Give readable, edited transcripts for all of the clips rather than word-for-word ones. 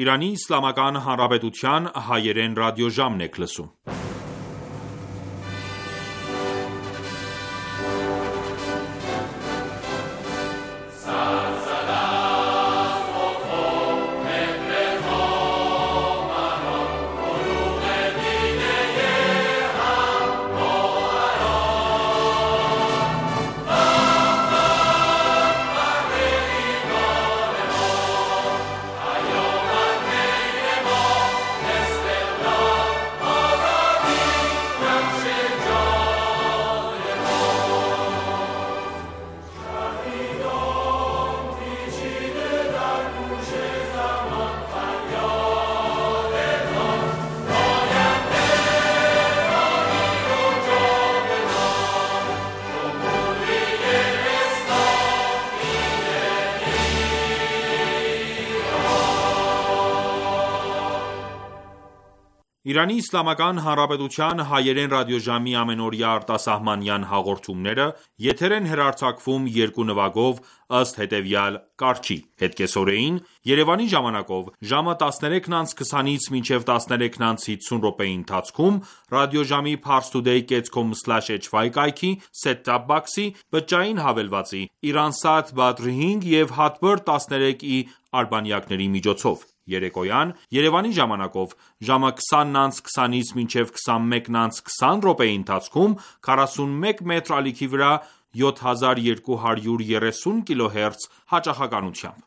Իրանի Իսլամական Հանրապետության հայերեն ռադիոժամն եք լսում: Իրանի Իսլամական Հանրապետության հայերեն ռադիոժամի ամենօրյա արտասահմանյան հաղորդումները եթեր են հեռարձակվում երկու նվագով ըստ հետևյալ կարգի՝ հետկեսօրեին Երևանի ժամանակով ժամը 13:20-ից մինչև 13:50 ընթացքում ռադիոժամի parstoday.com/hy կայքի set-top box-ի բջջային հավելվածի Iransat Badr 5 և Hotbird 13i արբանյակների միջոցով, երեկոյան Երևանի ժամանակով ժամը 20:20-ից մինչև 21:20 ընթացքում 41 մետր ալիքի վրա 7230 kHz հաճախականությամբ: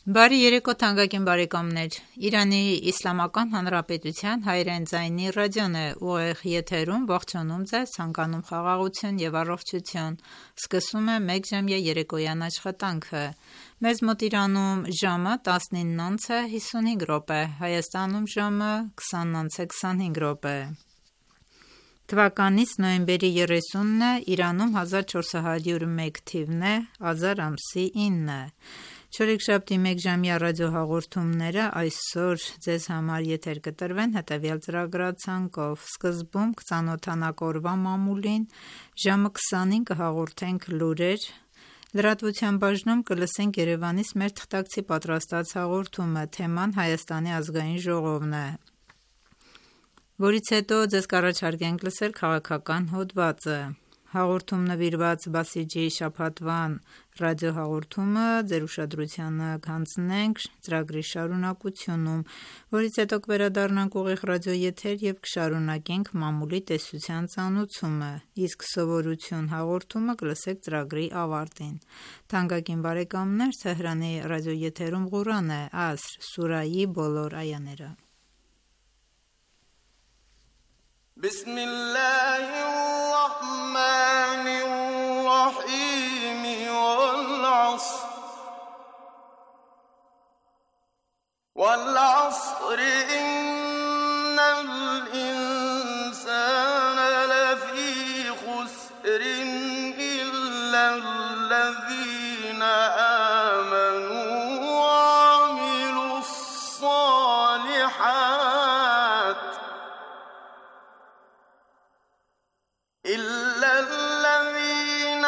Բարի երեկո թանկագին բարեկամներ: Իրանի Իսլամական Հանրապետության հայերեն ձայնի ռադիոն է ուղիղ եթերում ողջունում ձեզ, ցանկանում խաղաղություն և առողջություն: Սկսում է մեկժամյա երեկոյան աշխատանքը: Մեզ մոտ Իրանում ժամը 19:55, Հայաստանում ժամը 20:25: Թվականից նոյեմբերի 30-ն է, Իրանում 1401 թիվն է, ազար ամսի 9: Չորեքշաբթի մեկժամյա ռադիոհաղորդումները այսօր ձեզ համար եթեր կտրվեն հետևյալ ծրագրացանկով: Սկզբում կծանոթանանք օրվա մամուլին, ժամը 20-ին կհաղորդենք լուրեր, լրատվության բաժնում կլսենք Երևանից մեր թղթակցի պատրաստած հաղորդումը, թեման Հայաստանի ազգային ժողովն է, որից հետո ձեզ կառաջարկենք լսել քաղաքական հոդվածը: Հաղորդում նվիրված Բասիջի շաբաթվան ռադիոհաղորդումը ձեր ուշադրությանը կհանձնենք ծրագրի շարունակությունում, որից հետո կվերադառնանք ուղիղ ռադիոեթեր և կշարունակենք մամուլի տեսության ծանոթումը, իսկ սովորություն հաղորդումը կլսեք ծրագրի ավարտին: Թանկագին բարեկամներ, Թեհրանի ռադիոեթերում Ղուրան է, Ասր սուրահի բոլոր այաները: وَالْعَصْرِ إِنَّ الْإِنسَانَ لَفِي خُسْرٍ إِلَّا الَّذِينَ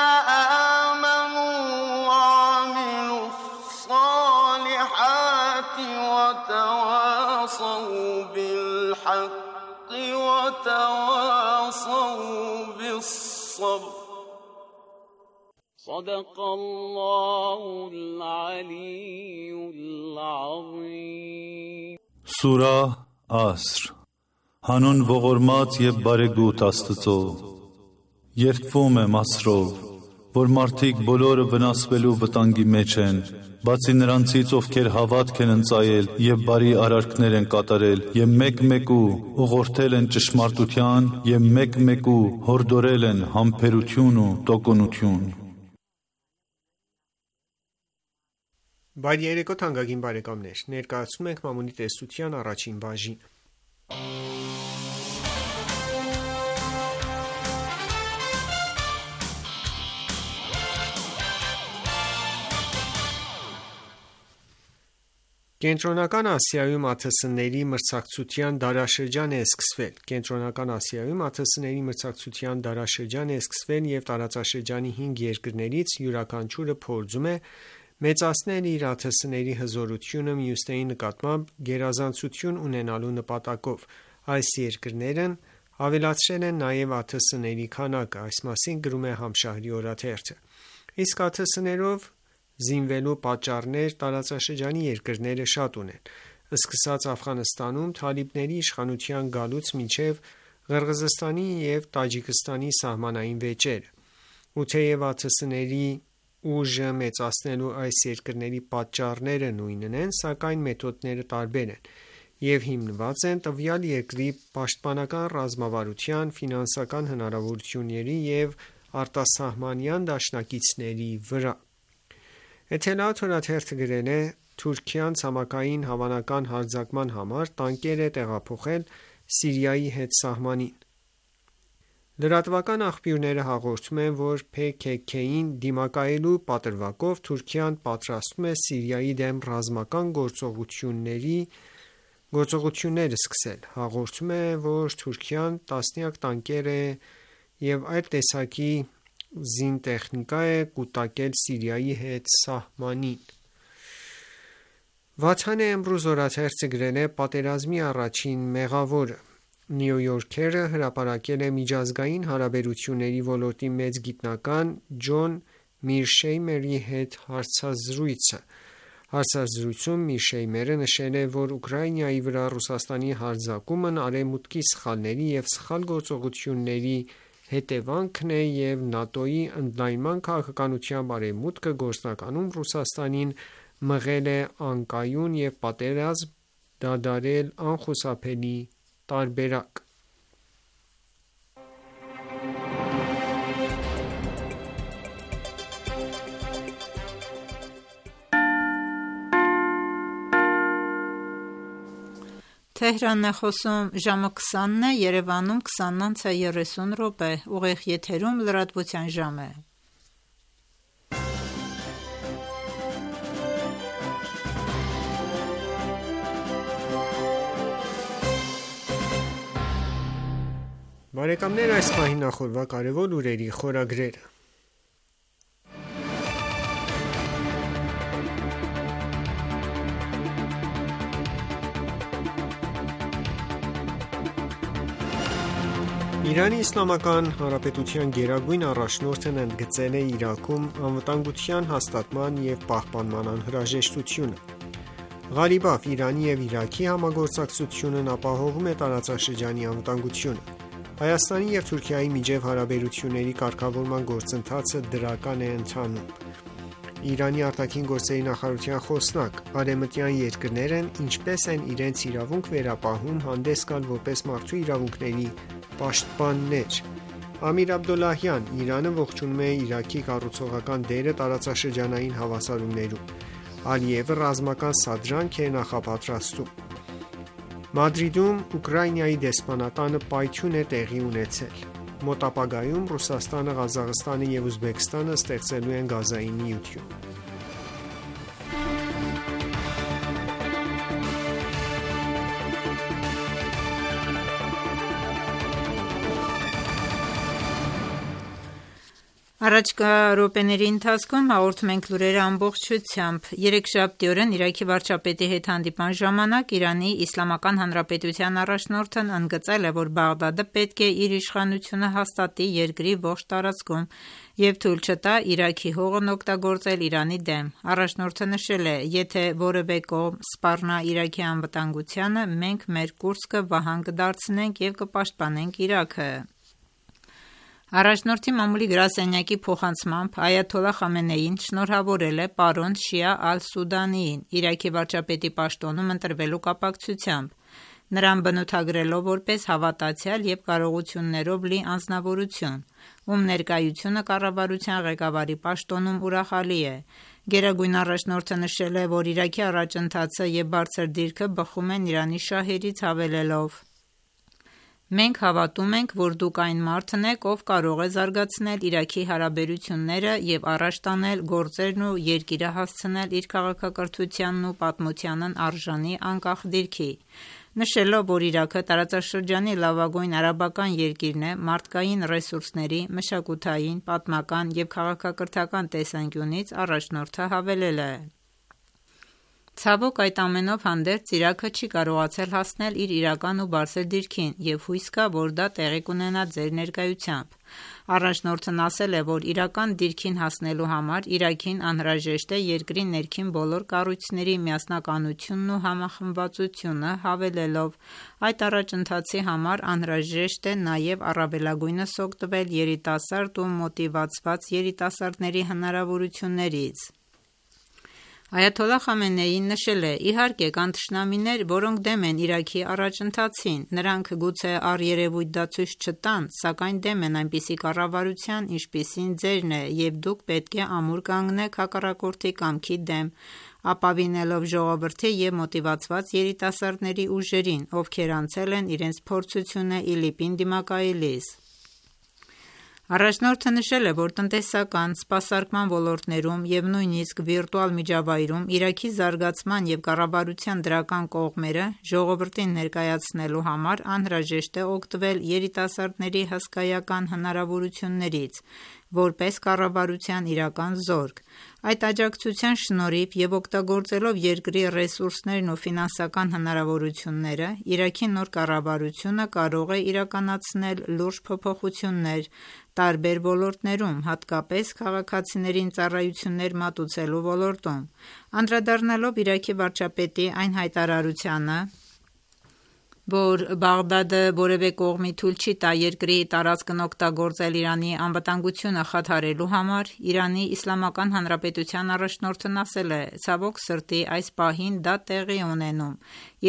آمَنُوا وَعَمِلُوا الصَّالِحَاتِ وَتَوَاصَوْا بِالْحَقِّ وَتَوَاصَوْا بِالصَّبْرِ صَدَقَ اللَّهُ الْعَلِيُّ الْعَظِيمُ Սուրահ Ասր Հանուն ողորմած և բարեգութ Աստծո: Երդվում եմ Ասրով, որ մարդիկ բոլորը վնասվելու վտանգի մեջ են, բացի նրանցից, ովքեր հավատք են ընծայել և բարի արարքներ են կատարել և մեկ-մեկու ուղղորդել են ճշմարտության և մեկ-մեկու հորդորել են համբերություն ու տոկունություն: Բարի երեկո թանկագին բարեկամներ: Ներկայացնում ենք մամուլի տեսության առաջին բաժինը: Կենտրոնական Ասիայում ԱԹՍ-ների մրցակցության դարաշրջան է սկսվել: Կենտրոնական Ասիայում ԱԹՍ-ների մրցակցության դարաշրջան է սկսվել և տարածաշրջանի 5 երկրներից յուրաքանչյուրը փորձում է մեծացնել իր ԱԹՍ-ների հզորությունը մյուսների նկատմամբ գերազանցություն ունենալու նպատակով։ Այս երկրներն ավելացրել են նաև ԱԹՍ-ների քանակը, այս մասին գրում է Համշահրի օրաթերթը։ Իսկ ԱԹՍ-ներով զինվելու պատճառներ տարածաշրջանի երկրները շատ ունեն, սկսած Աֆղանստանում թալիբների իշխանության գալուց մինչև Ղրղզստանի և Տաջիկստանի սահմանային վեճերը։ Ու թեև ԱԹՍ-ների ուժը մեծացնելու այս երկրների պատճառները նույնն են, սակայն մեթոդները տարբեր են և հիմնված են տվյալ երկրի պաշտպանական ռազմավարության, ֆինանսական հնարավորությունների և արտասահմանյան դաշնակիցների վրա։ Էթելաաթ օրաթերթը գրել է. Թուրքիան ցամաքային հավանական հարձակման համար տանկեր է տեղափոխել Սիրիայի հետ սահմանին։ Լրատվական աղբյուրները հաղորդում են, որ PKK-ին դիմակայելու պատրվակով Թուրքիան պատրաստվում է Սիրիայի դեմ ռազմական գործողություններ սկսել։ Հաղորդում է, որ Թուրքիան տասնյակ տանկեր և այլ տեսակի զինտեխնիկա է կուտակել Սիրիայի հետ սահմանին։ Վաթան Էմրուզ օրաթերթը գրել է. պատերազմի առաջին մեղավորը։ New Yorker-ը հրապարակել է միջազգային հարաբերությունների ոլորտի մեծ գիտնական Ջոն Միրշեյմերի հետ հարցազրույցը։ Հարցազրույցում Միրշեյմերը նշել է, որ Ուկրաինայի վրա Ռուսաստանի հարձակումն արևմուտքի սխալների և սխալ գործողությունների հետևանքն է և ՆԱՏՕ-ի ընդլայնման քաղաքականությամբ արևմուտքը գործնականում Ռուսաստանին մղել է անկայուն և պատերազմ դադարել անխուսափելի տարբերակ։ Թեհրանն է խոսում ժամը 20-ն է, Երևանում 20:30 ուղիղ եթերում լրատվության ժամ է։ Բարեկամներ, այս պահին նախորդ կարևոր լուրերի խորագրերը։ Իրանի Իսլամական Հանրապետության գերագույն առաջնորդն ընդգծել է Իրաքում անվտանգության հաստատման և պահպանման անհրաժեշտությունը։ Ղարիբաֆ Իրանի և Իրաքի համագործակցությունն ապահովում է տարածաշրջանի անվտանգությունը։ Հայաստանի և Թուրքիայի միջև հարաբերությունների կարգավորման գործընթացը դրական է ընթանում։ Իրանի արտաքին գործերի նախարարության խոսնակ. Արևմտյան երկրներն ինչպես են իրենց իրավունք վերապահում հանդես գալ որպես մարդու իրավունքների պաշտպաններ։ Ամիր Աբդոլլահյան. Իրանը ողջունում է Իրաքի կառուցողական դերը տարածաշրջանային հավասարումներում։ Ալիևը ռազմական սադրանք է նախապատրաստում։ Մադրիդում Ուկրաինայի դեսպանատանը պայթյուն է տեղի ունեցել։ Մոտ ապագայում Ռուսաստանը, Ղազախստանը և Ուզբեկստանը ստեղծելու են գազային միություն։ Առաջկա րոպեների ընթացքում հաղորդում ենք լուրերը ամբողջությամբ։ Երեքշաբթի Իրաքի վարչապետի հետ հանդիպման ժամանակ Իրանի Իսլամական Հանրապետության առաջնորդն ընդգծել է, որ Բաղդադը պետք է իր իշխանությունը հաստատի երկրի ողջ տարածքում և թույլ չտա Իրաքի հողն օգտագործել Իրանի դեմ։ Առաջնորդը նշել է. «Եթե որևէ կողմ սպառնա Իրաքի անվտանգությանը, մենք մեր կուրծքը վահան կդարձնենք և կպաշտպանենք Իրաքը»։ Առաջնորդի մամուլի գրասենյակի փոխանցմամբ Այաթոլլահ Խամենեին շնորհավորել է պարոն Շիա Ալ-Սուդանիին Իրաքի վարչապետի պաշտոնում ընտրվելու կապակցությամբ, նրան բնութագրելով որպես հավատացյալ և կարողություններով լի անձնավորություն, ում ներկայությունը կառավարության ղեկավարի պաշտոնում ուրախալի է։ Գերագույն առաջնորդը նշել է, որ Իրաքի առաջընթացը և բարձր դիրքը բխում են Իրանի շահերից, հավելելով. «Մենք հավատում ենք, որ դուք այն մարդն եք, ով կարող է զարգացնել Իրաքի հարաբերությունները և առաջ տանել գործերն ու երկիրը հասցնել իր քաղաքակրթությանն ու պատմությանն արժանի անկախ դիրքի։ նշելով, որ Իրաքը տարածաշրջանի լավագույն արաբական երկիրն է մարդկային ռեսուրսների, մշակութային, պատմական և քաղաքակրթական տեսանկյունից, առաջնորդը հավելել է. Ցավոք, այդ ամենով հանդերձ Իրաքը չի կարողացել հասնել իր իրական ու բարձր դիրքին և հույս կա, որ դա տեղի կունենա ձեր ներկայությամբ։ Առաջնորդն ասել է, որ իրական դիրքին հասնելու համար Իրաքին անհրաժեշտ է երկրի ներքին բոլոր կառույցների միասնականությունն ու համախմբվածությունը, հավելելով. այդ առաջընթացի համար անհրաժեշտ է նաև առավելագույնս օգտվել երիտասարդ ու մոտիվացված երիտասարդների հնարավորություններից։ Այաթոլլահ Խամենեին նշել է. իհարկե կան թշնամիներ, որոնք դեմ են Իրաքի առաջընթացին, նրանք գուցե առերևույթ դա ցույց չտան, սակայն դեմ են այնպիսի կառավարության, ինչպիսին ձերն է, և դուք պետք է ամուր կանգնեք հակառակորդի կամքի դեմ, ապավինելով ժողովրդի և մոտիվացված երիտասարդների ուժերին, ովքեր անցել են իրենց փորձությունը ԻԼԻՊ-ին դիմակայելիս։ Առաջնորդը նշել է, որ տնտեսական, սպասարկման ոլորտներում և նույնիսկ վիրտուալ միջավայրում Իրաքի զարգացման և կառավարության դրական կողմերը ժողովրդին ներկայացնելու համար անհրաժեշտ է օգտվել երիտասարդների հսկայական հնարավորություններից, որպես կառավարության իրական զորք։ Այդ աջակցության շնորհիվ և օգտագործելով երկրի ռեսուրսներն ու ֆինանսական հնարավորությունները, Իրաքի նոր կառավարությունը կարող է իրականացնել լուրջ փոփոխություններ տարբեր ոլորտներում, հատկապես քաղաքացիներին ծառայություններ մատուցելու ոլորտում։ Անդրադառնալով Իրաքի վարչապետի այն հայտարարությանը, որ Բաղդադը որևէ կողմի թույլ չի տա երկրի տարածքն օգտագործել Իրանի անվտանգությունը խաթարելու համար, Իրանի Իսլամական Հանրապետության առաջնորդն ասել է. ցավոք սրտի, այս պահին դա տեղի է ունենում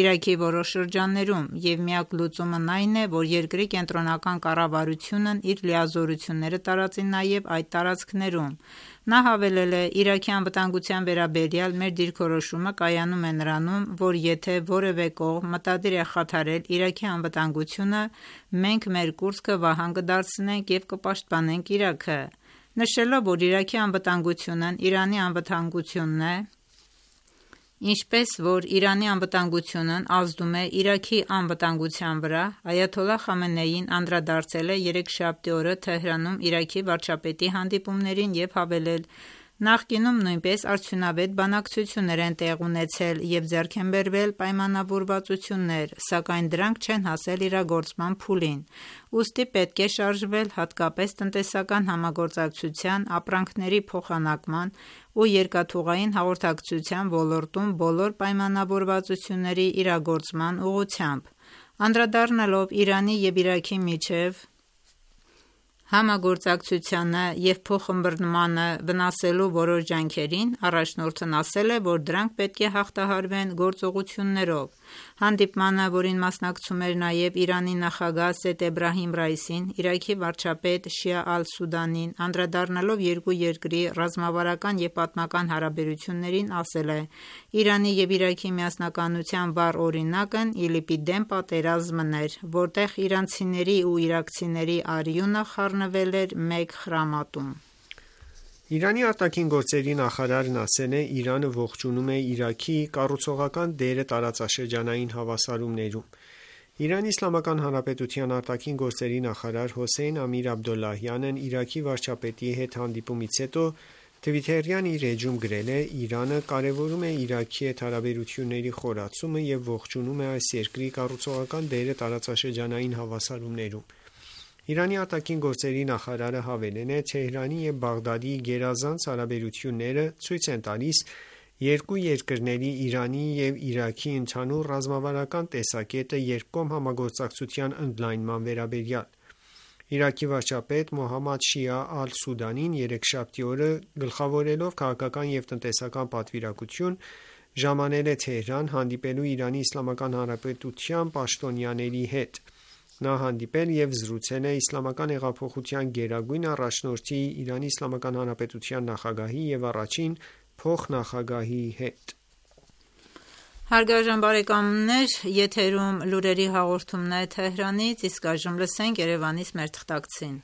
Իրաքի որոշ շրջաններում, և միակ լուծումն այն է, որ երկրի կենտրոնական կառավարությունն իր լիազորությունները տարածի նաև այդ տարածքներում։ Նա հավելել է. Իրաքի անվտանգության վերաբերյալ մեր դիրքորոշումը կայանում է նրանում, որ եթե որևէ կողմ մտադիր է խաթարել Իրաքի անվտանգությունը, մենք մեր կուրծքը վահան կդարձնենք և կպաշտպանենք Իրաքը։ Նշելով, որ Իրաքի անվտանգությունն Իրանի անվտանգությունն է, ինչպես որ Իրանի անվտանգությունն ազդում է Իրաքի անվտանգության վրա, այաթոլլահ Խամենեին անդրադարձել է երեքշաբթի օրը Թեհրանում Իրաքի վարչապետի հանդիպումներին և հավելել. նախկինում նույնպես արդյունավետ բանակցություններ են տեղի ունեցել և ձեռք են բերվել պայմանավորվածություններ, սակայն դրանք չեն հասել իրագործման փուլին, ուստի պետք է շարժվել հատկապես տնտեսական համագործակցության, ապրանքների փոխանակման ու երկաթուղային հաղորդակցության ոլորտում բոլոր պայմանավորվածությունների իրագործման ուղղությամբ։ Անդրադառնալով Իրանի և Իրաքի միջև համագործակցությանը և փոխըմբռնմանը վնասելու որոշ ջանքերին, առաջնորդն ասել է, որ դրանք պետք է հաղթահարվեն գործողություններով։ Հանդիպմանը, որին մասնակցում էր նաև Իրանի նախագահ Սեյեդ Էբրահիմ Ռայիսին, Իրաքի վարչապետ Շիա Ալ-Սուդանին, անդրադառնալով երկու երկրի ռազմավարական և պատմական հարաբերություններին, ասել է. Իրանի և Իրաքի միասնականության վառ օրինակն ԻԼԻՊ-ի դեմ պատերազմն էր, որտեղ իրանցիների ու իրաքցիների արյունը խառնվել էր մեկ խրամատում։ Իրանի արտաքին գործերի նախարարն ասել է. Իրանը ողջունում է Իրաքի կառուցողական դերը տարածաշրջանային հավասարումներում։ Իրանի Իսլամական Հանրապետության արտաքին գործերի նախարար Հոսեյն Ամիր Աբդոլլահյանն Իրաքի վարչապետի հետ հանդիպումից հետո Twitter-յան իր էջում գրել է. Իրանը կարևորում է Իրաքի հետ հարաբերությունների խորացումը և ողջունում է այս երկրի կառուցողական դերը տարածաշրջանային հավասարումներում։ Իրանի արտաքին գործերի նախարարը հավելել է. Թեհրանի և Բաղդադի գերազանց հարաբերությունները ցույց են տալիս երկու երկրների՝ Իրանի և Իրաքի ընդհանուր ռազմավարական տեսակետը երկկողմ համագործակցության ընդլայնման վերաբերյալ։ Իրաքի վարչապետ Մոհամմադ Շիա Ալ-Սուդանին երեքշաբթի օրը գլխավորելով քաղաքական և տնտեսական պատվիրակություն ժամանել է Թեհրան՝ հանդիպելու Իրանի Իսլամական Հանրապետության պաշտոնյաների հետ։ Նա հանդիպել և զրուցել է Իսլամական հեղափոխության գերագույն առաջնորդի, Իրանի Իսլամական Հանրապետության նախագահի և առաջին փոխնախագահի հետ։ Հարգարժան բարեկամներ, եթերում լուրերի հաղորդումն է Թեհրանից, իսկ այժմ լսենք Երևանից մեր թղթակցին։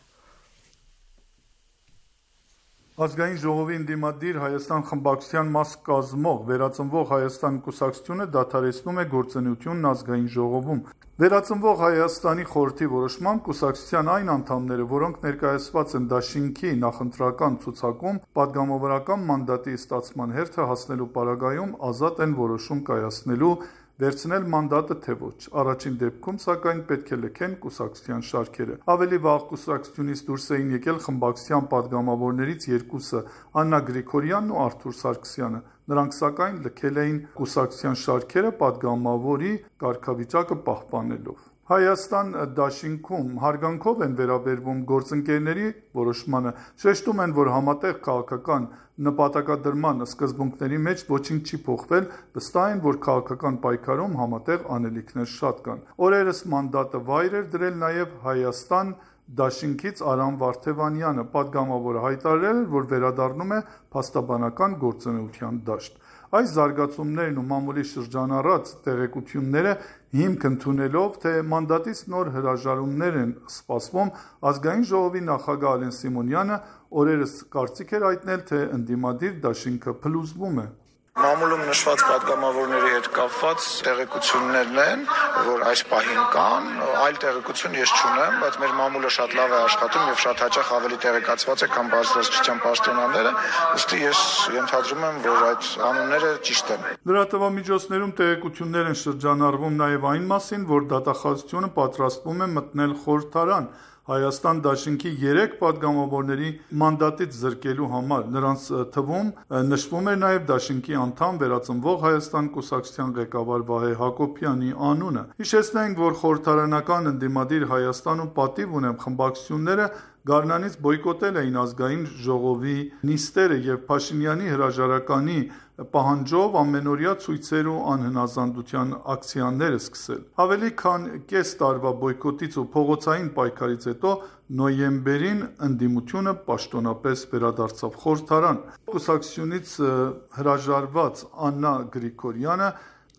Ազգային ժողովի ընդդիմադիր Հայաստան խմբակցության մաս կազմող Վերածնվող Հայաստան կուսակցությունը դադարեցնում է գործունեությունն ազգային ժողովում։ Վերածնվող Հայաստանի խորհրդի որոշմամբ կուսակցության այն անդամները, որոնք ներկայացված են դաշինքի նախընտրական ցուցակում, падգամավորական մանդատի ստացման հերթը հասնելու պարագայում ազատ են որոշում կայացնելու վերցնել մանդատը թե ոչ։ Առաջին դեպքում, սակայն, պետք է լքեն կուսակցության շարքերը։ Ավելի վաղ կուսակցությունից դուրս էին եկել խմբակցության падգամավորներից երկուսը՝ Աննա Գրիգորյանն ու Արթուր Սարգսյանը։ Նրանք, սակայն, լքել էին կուսակցության շարքերը падգամավորի կարգավիճակը պահպանելով։ Հայաստան դաշինքում հարգանքով են վերաբերվում գործընկերների որոշմանը, շեշտում են, որ համատեղ քաղաքական նպատակադրման սկզբունքների մեջ ոչինչ չի փոխվել, վստահ են, որ քաղաքական պայքարում համատեղ անելիքներ շատ կան։ Օրերս մանդատը վայր էր դրել նաև Հայաստան դաշինքից Արամ Վարդևանյանը, падգամավորը հայտարարել էր, որ վերադառնում է փաստաբանական գործունեության դաշտ։ Այս զարգացումներն ու մամուլի շրջանառած տեղեկությունները հիմք ընդունելով, թե մանդատից նոր հրաժարումներ են սպասվում, ազգային ժողովի նախագահ Ալեն Սիմոնյանը օրերս կարծիք էր հայտնել, թե ընդդիմադիր դաշինքը փլուզվում է։ Մամուլում նշված падգամավորների հետ կապված տեղեկություններն են, որ այս պահին կան, այլ տեղեկություն ես չունեմ, բայց մեր մամուլը շատ լավ է աշխատում եւ շատ հաճախ ավելի տեղեկացված է, քան բարձրաստիճան պաշտոնյաները, ուստի ես ենթադրում եմ, որ այդ անունները ճիշտ են։ Լրատվամիջոցներում տեղեկություններ են շրջանառվում նաև այն մասին, որ դատախազությունը պատրաստվում է մտնել խորհրդարան Հայաստան դաշինքի 3 падգամավորների մանդատից զրկելու համար։ Նրանց թվում նշվում էր նաև դաշինքի անդամ Վերածնվող Հայաստան կուսակցության ղեկավար Վահե Հակոբյանի անունը։ Հիշեցնենք, որ խորհրդարանական ընդդիմադիր Հայաստանում պատիվ ունեն խմբակցությունները Գարնանից բոյկոտել էին ազգային ժողովի նիստերը եւ Փաշինյանի հրաժարականի պահանջով ամենօրյա ցույցեր ու անհնազանդության ակցիաներ սկսել։ Ավելի քան կես տարվա բոյկոտից ու փողոցային պայքարից հետո նոյեմբերին ընդդիմությունը պաշտոնապես վերադարձավ խորհրդարան։ Կուսակցությունից հրաժարված Աննա Գրիգորյանը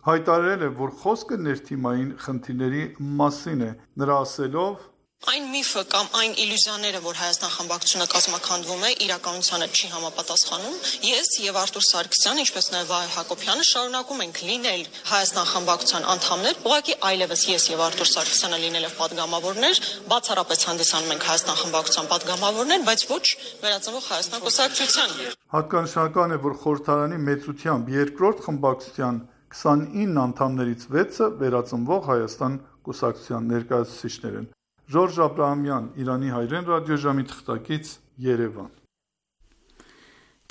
հայտարարել է, որ խոսքը ներթիմային խնդիրների մասին է։ Նրա ասելով. Այն միֆը կամ այն իլյուզիաները, որ Հայաստան խմբակցությունը կազմաքանդվում է, իրականությանը չի համապատասխանում։ Ես եւ Արթուր Սարգսյանը, ինչպես նաեւ Վահե Հակոբյանը շարունակում ենք լինել Հայաստան խմբակցության անդամներ, ուղղակի այլևս ես եւ Արթուր Սարգսյանը լինելով падգամավորներ, բացառապես հանդիսանում ենք Հայաստան խմբակցության падգամավորներ, բայց ոչ Վերածնվող Հայաստան կուսակցության։ Հատկանշական է, որ խորհրդարանի մեծությամբ երկրորդ խմբակցության 29 անդամներից 6-ը Վերածնվող Հայաստան կուսակցության ներկայացուցիչներ են։ Ժորժ Աբրահամյան, Իրանի հայրեն ռադիոժամի թղթակից, Երևան։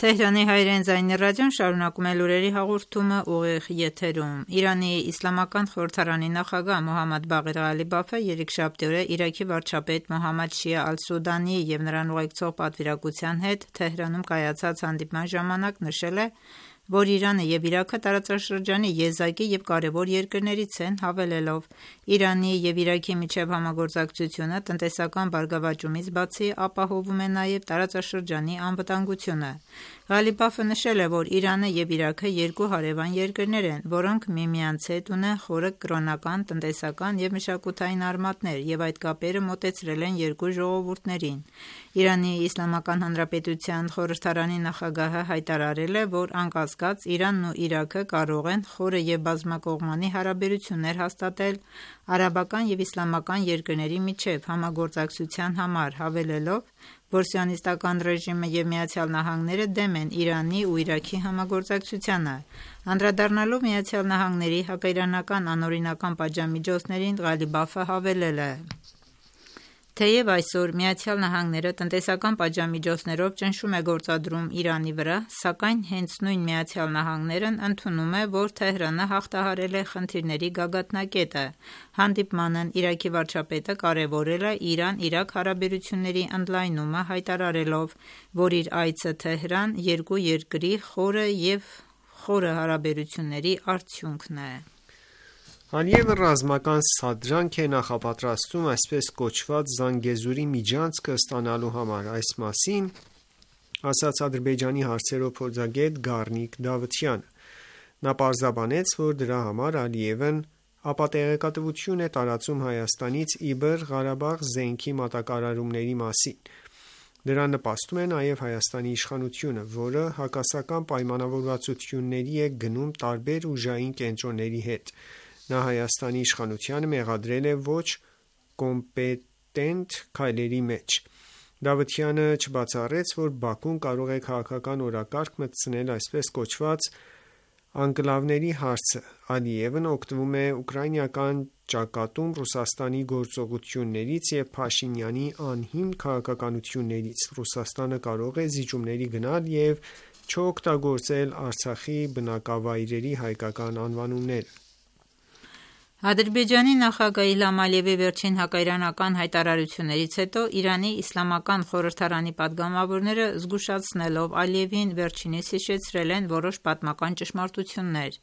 Թեհրանի հայրեն ձայնի ռադիոն շարունակում է լուրերի հաղորդումը ուղիղ եթերում։ Իրանի Իսլամական խորհրդարանի նախագահ Մոհամմադ Բաղիր Ղալիբաֆը երեքշաբթի օրը Իրաքի վարչապետ Մոհամմադ Շիա Ալ-Սուդանի եւ նրան ուղեկցող պատվիրակության հետ Թեհրանում կայացած հանդիպման ժամանակ նշել է, որ Իրանը եւ Իրաքը տարածաշրջանի եզակի եւ կարևոր երկրներից են, հավելելով. Իրանի եւ Իրաքի միջև համագործակցությունը տնտեսական բարգավաճումից բացի ապահովում է նաեւ տարածաշրջանի անվտանգությունը։ Ղալիբաֆը նշել է, որ Իրանը եւ Իրաքը երկու հարևան երկրներ են, որոնք միմյանց հետ ունեն խորը կրոնական, տնտեսական եւ մշակութային արմատներ եւ այդ կապերը մոտեցրել են երկու ժողովուրդներին։ Իրանի Իսլամական Հանրապետության խորհրդարանի նախագահը հայտարարել է, որ անկասկած Իրանն ու Իրաքը կարող են խորը եւ բազմակողմանի հարաբերություններ հաստատել արաբական եւ իսլամական երկրների միջև համագործակցության համար, հավելելով, որ սիոնիստական ռեժիմը եւ Միացյալ Նահանգները դեմ են Իրանի ու Իրաքի համագործակցությանը։ Անդրադառնալով Միացյալ Նահանգների հակաիրանական անօրինական պատժամիջոցներին, Ղալիբաֆը հավելել է. Թեև այսօր Միացյալ Նահանգները տնտեսական պատժամիջոցներով ճնշում է գործադրում Իրանի վրա, սակայն հենց նույն Միացյալ Նահանգներն ընդունում է, որ Թեհրանը հաղթահարել է խնդիրների գագաթնակետը։ Հանդիպմանն Իրաքի վարչապետը կարևորել է Իրան-Իրաք հարաբերությունների ընդլայնումը, հայտարարելով, որ իր այցը Թեհրան երկու երկրի խորը հարաբերությունների արդյունքն է։ Ալիևը ռազմական սադրանք է նախապատրաստում այսպես կոչված Զանգեզուրի միջանցքը ստանալու համար։ Այս մասին ասաց Ադրբեջանի հարցերով փորձագետ Գառնիկ Դավթյանը։ Նա պարզաբանեց, որ դրա համար Ալիևն ապատեղեկատվություն է տարածում Հայաստանից Իբր Ղարաբաղ զենքի մատակարարումների մասին։ Դրան նպաստում է նաև Հայաստանի իշխանությունը, որը հակասական պայմանավորվածությունների է գնում տարբեր ուժային կենտրոնների հետ։ Նա Հայաստանի իշխանությանը մեղադրել է ոչ կոմպետենտ քայլերի մեջ։ Դավթյանը չբացառեց, որ Բաքուն կարող է քաղաքական օրակարգ մտցնել այսպես կոչված անկլավների հարցը։ Ալիևն օգտվում է ուկրաինական ճակատում Ռուսաստանի գործողություններից և Փաշինյանի անհիմն քաղաքականություններից։ Ռուսաստանը կարող է զիջումների գնալ և չօգտագործել Արցախի բնակավայրերի հայկական անվանումները։ Ադրբեջանի նախագահ Իլհամ Ալիևի վերջին հակաիրանական հայտարարություններից հետո Իրանի իսլամական խորհրդարանի պատգամավորները զգուշացնելով Ալիևին վերջինիս հիշեցրել են որոշ պատմական ճշմարտություններ։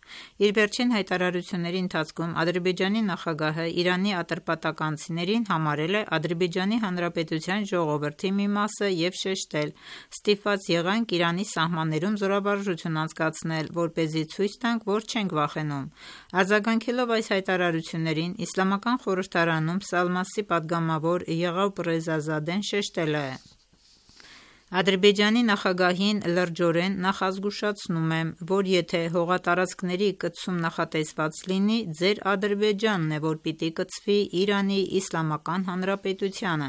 Իր վերջին հայտարարությունների ընթացքում Ադրբեջանի նախագահը Իրանի ատրպատականցիներին համարել է Ադրբեջանի Հանրապետության ժողովրդի մի մասը և շեշտել. «Ստիպված եղանք Իրանի սահմաններում զորավարժություն անցկացնել, որպեսզի ցույց տանք, որ չենք վախենում»։ Արձագանքելով այս հայտարարություններին Իսլամական խորհրդարանում Սալմասի պատգամավոր Եղաուբ Ռեզազադեն շեշտել է. «Ադրբեջանի նախագահին լրջորեն նախազգուշացնում եմ, որ եթե հողատարածքների կցում նախատեսված լինի, ձեր Ադրբեջանն է, որ պիտի կցվի Իրանի Իսլամական Հանրապետությանը»։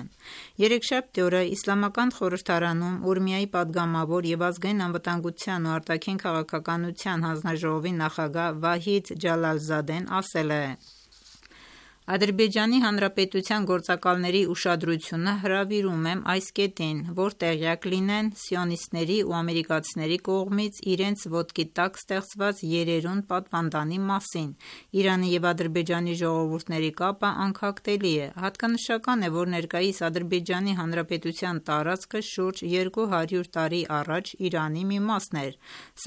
Երեքշաբթի օրը Իսլամական խորհրդարանում Ուրմիայի պատգամավոր և ազգային անվտանգության ու արտաքին քաղաքականության հանձնաժողովի նախագահ Վահիդ Ջալալզադեն ասել է. «Ադրբեջանի Հանրապետության գործակալների ուշադրությունը հրավիրում եմ այս կետին, որ տեղյակ լինեն սիոնիստների ու ամերիկացիների կողմից իրենց ոտքի տակ ստեղծված երերուն պատվանդանի մասին։ Իրանի և Ադրբեջանի ժողովուրդների կապը անքակտելի է։ Հատկանշական է, որ ներկայիս Ադրբեջանի Հանրապետության տարածքը շուրջ 200 տարի առաջ Իրանի մի մասն էր,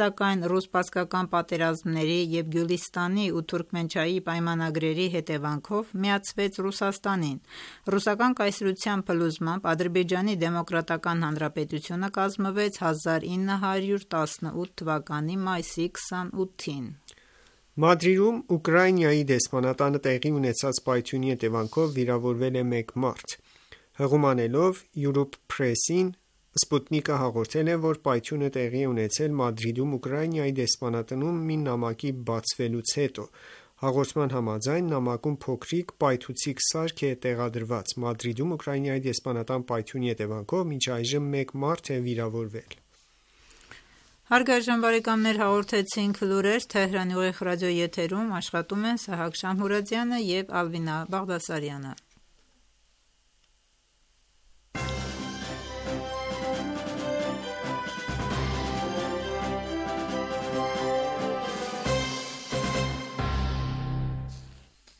սակայն ռուս-պարսկական պատերազմների և Գյուլիստանի ու Թուրքմենչայի պայմանագրերի հետևանքով միացվեց Ռուսաստանին։ Ռուսական կայսրության փլուզմամբ Ադրբեջանի Դեմոկրատական Հանրապետությունը կազմվեց 1918 թվականի մայիսի 28-ին»։ Մադրիդում Ուկրաինայի դեսպանատանը տեղի ունեցած պայթյունի հետևանքով վիրավորվել է մեկ մարդ։ Հղումանելով Europe Press-ին, Sputnik-ը հաղորդել է, որ պայթյունը տեղի է ունեցել Մադրիդում Ուկրաինայի դեսպանատնում մի նամակի բացվելուց հետո։ Հաղորդման համաձայն նամակում փոքրիկ պայթուցիկ սարք է տեղադրված։ Մադրիդում Ուկրաինայի դեսպանատան պայթյունի հետևանքով մինչ այժմ մեկ մարդ է վիրավորվել։ Հարգարժան բարեկամներ, հաղորդեցինք լուրեր Թեհրանի ուղիղ ռադիոյի եթերում աշխատում են Սահակ Շամհուրադյանը և Ալվինա Բաղդասարյանը։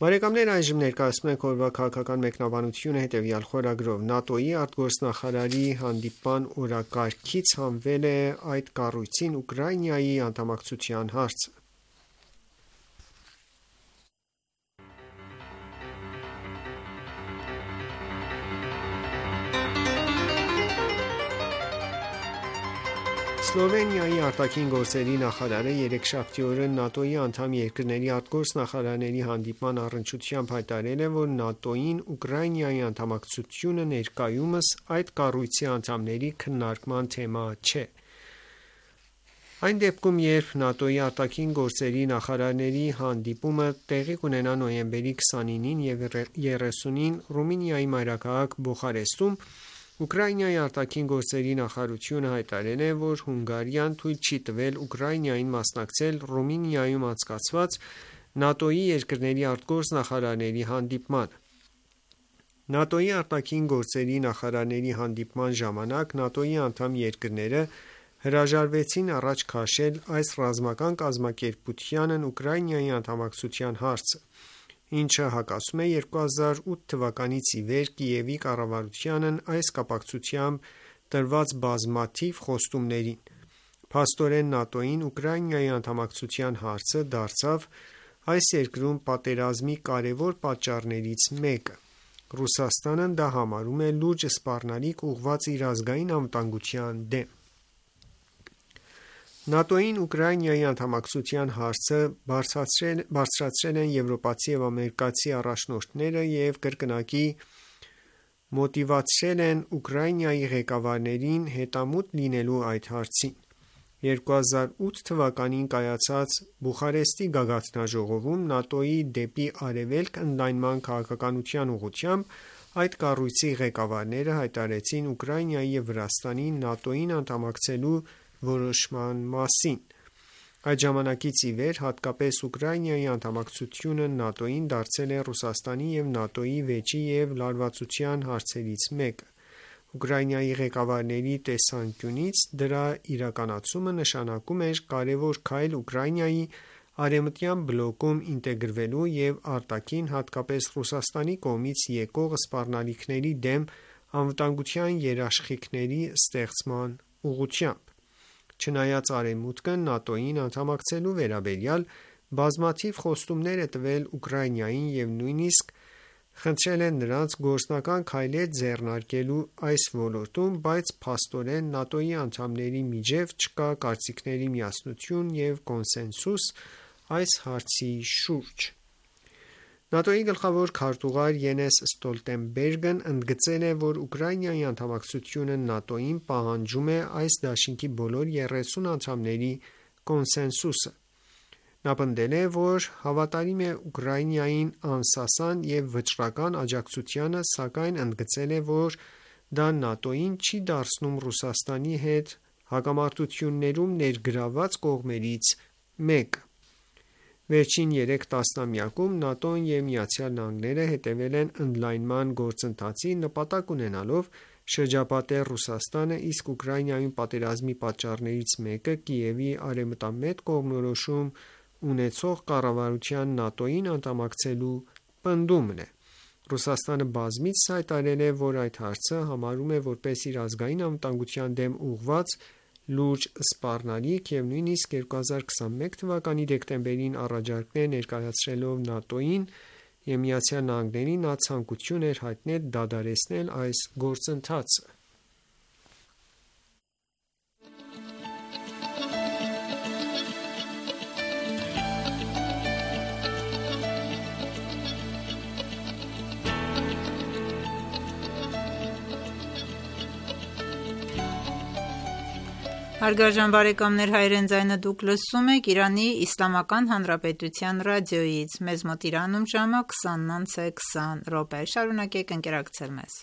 Բարեկամներ, այժմ ներկայացնում ենք օրվա քաղաքական մեկնաբանությունը հետևյալ խորագրով. ՆԱՏՕ-ի արտգործնախարարի հանդիպման օրակարգից հանվել է այդ կառույցին Ուկրաինայի անդամակցության հարցը։ Սլովենիայի արտաքին գործերի նախարարը երեքշաբթի օրը ՆԱՏՕ-ի անդամ երկրների արտգործնախարարների հանդիպման առնչությամբ հայտարարել է, որ ՆԱՏՕ-ին Ուկրաինայի անդամակցությունը ներկայումս այդ կառույցի անդամների քննարկման թեմա չէ։ Այն դեպքում, երբ ՆԱՏՕ-ի արտաքին գործերի նախարարների հանդիպումը տեղի կունենա նոյեմբերի 29-ին և 30-ին Ռումինիայի մայրաքաղաք Բուխարեստում, Ուկրաինայի արտաքին գործերի նախարարությունը հայտարարել է, որ Հունգարիան թույլ չի տվել Ուկրաինային մասնակցել Ռումինիայում անցկացված ՆԱՏՕ-ի երկրների արտգործնախարարների հանդիպմանը։ ՆԱՏՕ-ի արտաքին գործերի նախարարների հանդիպման ժամանակ ՆԱՏՕ-ի անդամ երկրները հրաժարվեցին առաջ քաշել այս ռազմական կազմակերպությանն Ուկրաինայի անդամակցության հարցը, ինչը հակասում է 2008 թվականից ի վեր Կիևի կառավարությանն այս կապակցությամբ տրված բազմաթիվ խոստումներին։ Փաստորեն ՆԱՏՕ-ին Ուկրաինայի անդամակցության հարցը դարձավ այս երկրում պատերազմի կարևոր պատճառներից մեկը։ Ռուսաստանն դա համարում է լուրջ սպառնալիք ուղղված իր ազգային անվտանգության դեմ։ ՆԱՏՕ-ին Ուկրաինայի անդամակցության հարցը բարձրացրել են եվրոպացի և ամերիկացի առաջնորդները և կրկնակի մոտիվացրել են Ուկրաինայի ղեկավարներին հետամուտ լինելու այդ հարցին։ 2008 թվականին կայացած Բուխարեստի գագաթնաժողովում ՆԱՏՕ-ի դեպի արևելք ընդլայնման քաղաքականության ուղղությամբ այդ կառույցի ղեկավարները հայտարարեցին Ուկրաինայի և Վրաստանի ՆԱՏՕ-ին անդամակցելու որոշման մասին։ Այդ ժամանակից ի վեր հատկապես Ուկրաինայի անդամակցությունը ՆԱՏՕ-ին դարձել է Ռուսաստանի և ՆԱՏՕ-ի վեճի և լարվածության հարցերից մեկը։ Ուկրաինայի ղեկավարների տեսանկյունից դրա իրականացումը նշանակում էր կարևոր քայլ Ուկրաինայի արևմտյան բլոկում ինտեգրվելու և արտաքին, հատկապես Ռուսաստանի կողմից եկող սպառնալիքների դեմ անվտանգության երաշխիքների ստեղծման ուղղությամբ։ Չնայած Արևմուտքը ՆԱՏՕ-ին անդամակցելու վերաբերյալ բազմաթիվ խոստումներ է տվել Ուկրաինային և նույնիսկ խնդրել է նրանց գործնական քայլեր ձեռնարկելու այս ոլորտում, բայց փաստորեն ՆԱՏՕ-ի անդամների միջև չկա կարծիքների միասնություն և կոնսենսուս այս հարցի շուրջ։ ՆԱՏՕ-ի գլխավոր քարտուղար Յենես Ստոլտենբերգն ընդգծել է, որ Ուկրաինայի անդամակցությունը ՆԱՏՕ-ին պահանջում է այս դաշինքի բոլոր 30 անդամների կոնսենսուսը։ Նա պնդել է, որ հավատարիմ է Ուկրաինային անսասան և վճռական աջակցությանը, սակայն ընդգծել է, որ դա ՆԱՏՕ-ին չի դարձնում Ռուսաստանի հետ հակամարտություններում ներգրավված կողմերից մեկը։ Վերջին 3 տասնամյակում ՆԱՏՕ-ն և ԱՄՆ-ը հետևել են ընդլայնման գործընթացի, նպատակ ունենալով շրջապատել Ռուսաստանը, իսկ Ուկրաինայում պատերազմի պատճառներից մեկը Կիևի արևմտամետ կողմնորոշում ունեցող կառավարության ՆԱՏՕ-ին անդամակցելու պնդումն է։ Ռուսաստանը բազմիցս հայտարարել է, որ այդ հարցը համարում է որպես իր ազգային անվտանգության դեմ ուղղված լուրջ սպառնալիք և նույնիսկ 2021 թվականի դեկտեմբերին առաջարկներ ներկայացրելով ՆԱՏՕ-ին և ԱՄՆ-ին, նա ցանկություն էր հայտնել դադարեցնել այս գործընթացը։ Հարգարժան բարեկամներ, հայրեն ձայնը դուք լսում եք Իրանի Իսլամական Հանրապետության ռադիոյից։ Մեզ մոտ Իրանում ժամը 20:20 Շարունակեք ընկերակցել մեզ։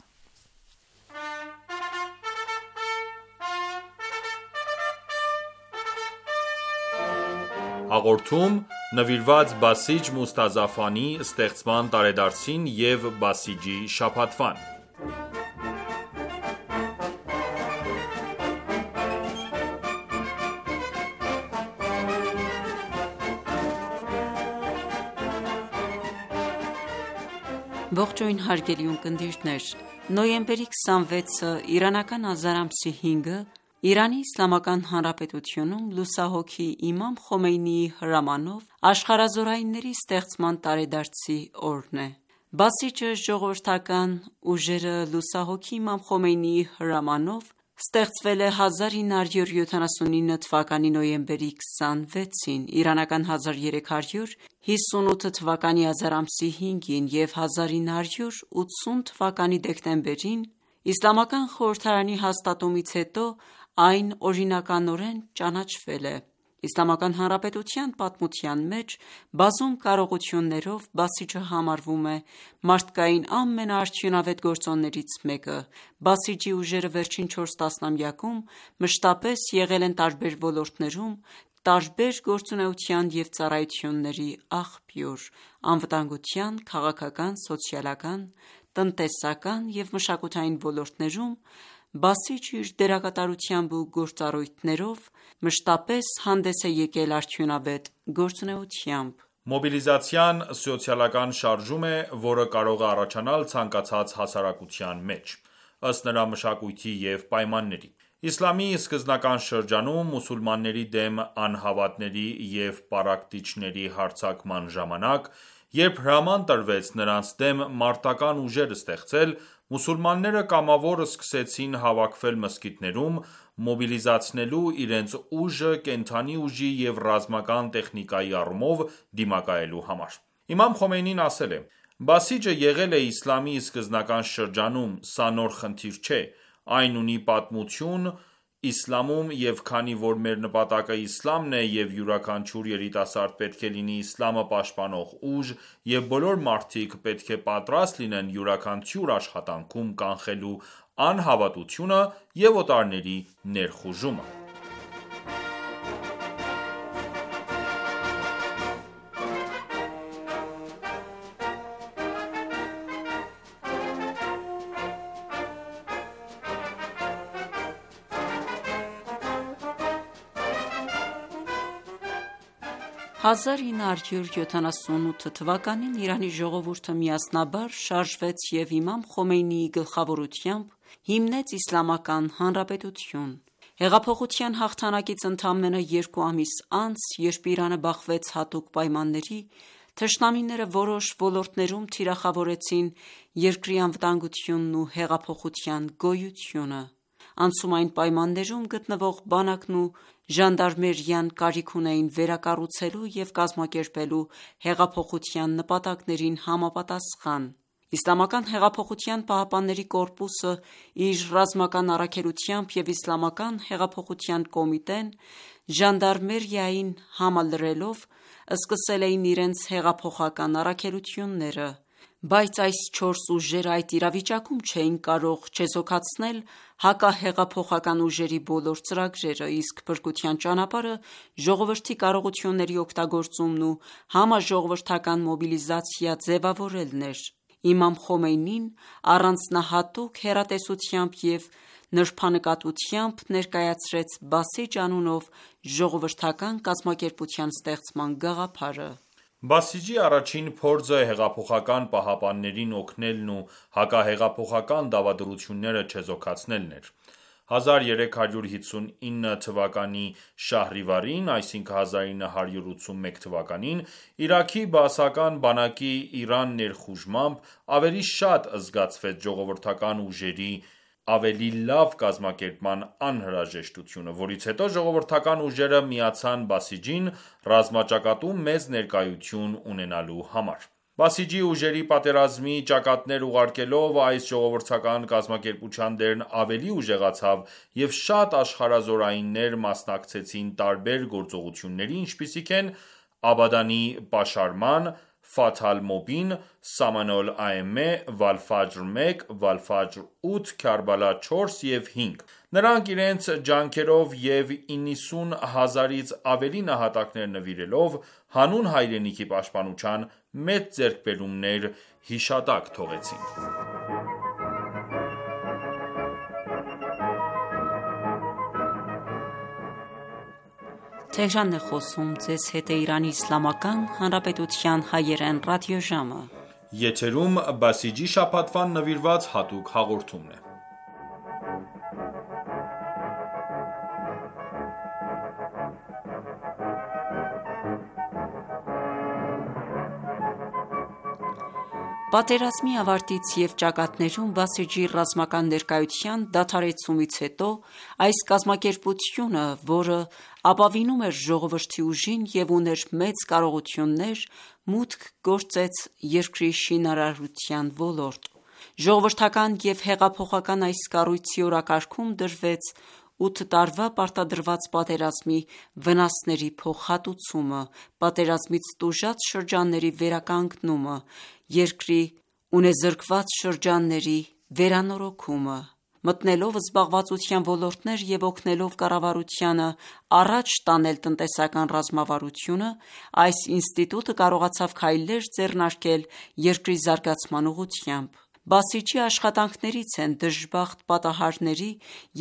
Հաղորդում նվիրված Բասիջ Մուստազաֆանի ստեղծման տարեդարձին և Բասիջի շաբաթվան։ Ողջույն հարգելի ունկնդիրներ, նոյեմբերի 26-ը իրանական ազար ամսի 5-ը Իրանի Իսլամական Հանրապետությունում լուսահոգի Իմամ Խոմեյնիի հրամանով աշխարհազորայինների ստեղծման տարեդարձի օրն է։ Բասիջը ժողովրդական ուժերը լուսահոգի Իմամ Խոմեյնիի հրամանով ստեղծվել է 1979 թվականի նոյեմբերի 26-ին, իրանական 1358 թվականի ազար ամսի 5-ին և 1980 թվականի դեկտեմբերին Իսլամական խորհրդարանի հաստատումից հետո այն օրինականորեն ճանաչվել է։ Իսլամական Հանրապետության պատմության մեջ բազում կարողություններով Բասիջը համարվում է մարդկային ամենաարդյունավետ գործոններից մեկը։ Բասիջի ուժերը վերջին 4 տասնամյակում մշտապես եղել են տարբեր ոլորտներում տարբեր գործունեության և ծառայությունների աղբյուր՝ անվտանգության, քաղաքական, սոցիալական, տնտեսական և մշակութային ոլորտներում Բասիջը իր դերակատարությամբ ու գործառույթներով մշտապես հանդես է եկել արդյունավետ գործունեությամբ։ Մոբիլիզացիան սոցիալական շարժում է, որը կարող է առաջանալ ցանկացած հասարակության մեջ, ըստ նրա մշակույթի և պայմանների։ Իսլամի սկզբնական շրջանում մուսուլմանների դեմ անհավատների և պառակտիչների հարձակման ժամանակ, երբ հրաման տրվեց նրանց դեմ մարտական ուժեր ստեղծել, մուսուլմանները կամավոր սկսեցին հավաքվել մզկիթներում՝ մոբիլիզացնելու իրենց ուժը կենդանի ուժի և ռազմական տեխնիկայի առումով դիմակայելու համար։ Իմամ Խոմեյնին ասել է. Բասիջը եղել է իսլամի սկզբնական շրջանում, սա նոր խնդիր չէ, այն ունի պատմություն իսլամում և քանի որ մեր նպատակը իսլամն է և յուրաքանչյուր երիտասարդ պետք է լինի իսլամը պաշտպանող ուժ և բոլոր մարդիկ պետք է պատրաստ լինեն յուրաքանչյուր աշխատանքում կանխելու անհավատությունը և օտարների ներխուժումը: Հազար 978 թվականին Իրանի ժողովուրդը միասնաբար շարժվեց և իմամ Խոմեյնիի գլխավորությամբ հիմնեց Իսլամական Հանրապետություն: Հեղափոխության հաղթանակից ընդամենը 2 ամիս անց, երբ Իրանը բախվեց հատուկ պայմանների, թշնամիները որոշ ոլորտներում թիրախավորեցին երկրի անվտանգությունն ու հեղափոխության գոյությունը: Անցումային պայմաններում գտնվող բանակն ու ժանդարմերիան կարիք ունեին վերակառուցելու և կազմակերպելու հեղափոխության նպատակներին համապատասխան: Իսլամական հեղափոխության պահապանների կորպուսը իր ռազմական առաքելությամբ և Իսլամական հեղափոխության կոմիտեն ժանդարմերիային համալրելով սկսել էին իրենց հեղափոխական առաքելությունները: Բայց այս 4 ուժերը այդ իրավիճակում չէին կարող չեզոքացնել հակահեղափոխական ուժերի բոլոր ծրագրերը, իսկ փրկության ճանապարհը ժողովրդի կարողությունների օգտագործումն ու համաժողովրդական մոբիլիզացիա ձևավորելն էր: Իմամ Խոմեյնին առանձնահատուկ հեռատեսությամբ և նրբանկատությամբ ներկայացրեց «Բասիջ» անունով ժողովրդական կազմակերպության ստեղծման գաղափարը: Բասիջի առաջին փորձը հեղափոխական պահապաններին օգնելն ու հակահեղափոխական դավադրությունները չեզոքացնելն էր: 1359 թվականի շահրիվարին (1981 թ.) Իրաքի բաասական բանակի Իրան ներխուժմամբ ավելի շատ զգացվեց ժողովրդական ուժերի ավելի լավ կազմակերպման անհրաժեշտությունը, որից հետո ժողովրդական ուժերը միացան Բասիջին ռազմաճակատում մեծ ներկայություն ունենալու համար: Բասիջի ուժերի պատերազմի ճակատներ ուղարկելով այս ժողովրդական կազմակերպության դերն ավելի ուժեղացավ և շատ աշխարհազորայիններ մասնակցեցին տարբեր գործողությունների, ինչպիսիք են Աբադանի պաշարման, Ֆաթհ Ալ-Մոբին, Սաման Ալ-Աըմե, Վալ-Ֆաջր 1, Վալ-Ֆաջր 8, Քարբալա 4 և 5: Նրանք իրենց ջանքերով և 90 հազարից ավելի նահատակներ նվիրելով, հանուն հայրենիքի պաշտպանության մեծ ձեռքբերումներ հիշատակ թողեցին: Պատերազմի ավարտից և ճակատներում Բասիջի ռազմական ներկայության դադարեցումից հետո այս կազմակերպությունը, որը ապավինում էր ժողովրդի ուժին և ուներ մեծ կարողություններ, մուտք գործեց երկրի շինարարության ոլորտ: Ժողովրդական և հեղափոխական այս կառույցի օրակարգում դրվեց 8 տարվա պարտադրված պատերազմի վնասների փոխհատուցումը, պատերազմից տուժած շրջանների վերականգնումը, երկրի ունեզրկված շրջանների վերանորոգումը: Մտնելով զբաղվածության ոլորտներ և օգնելով կառավարությանը առաջ տանել տնտեսական ռազմավարությունը, այս ինստիտուտը կարողացավ քայլեր ձեռնարկել երկրի զարգացման ուղղությամբ: Բասիջի աշխատանքներից են դժբախտ պատահարների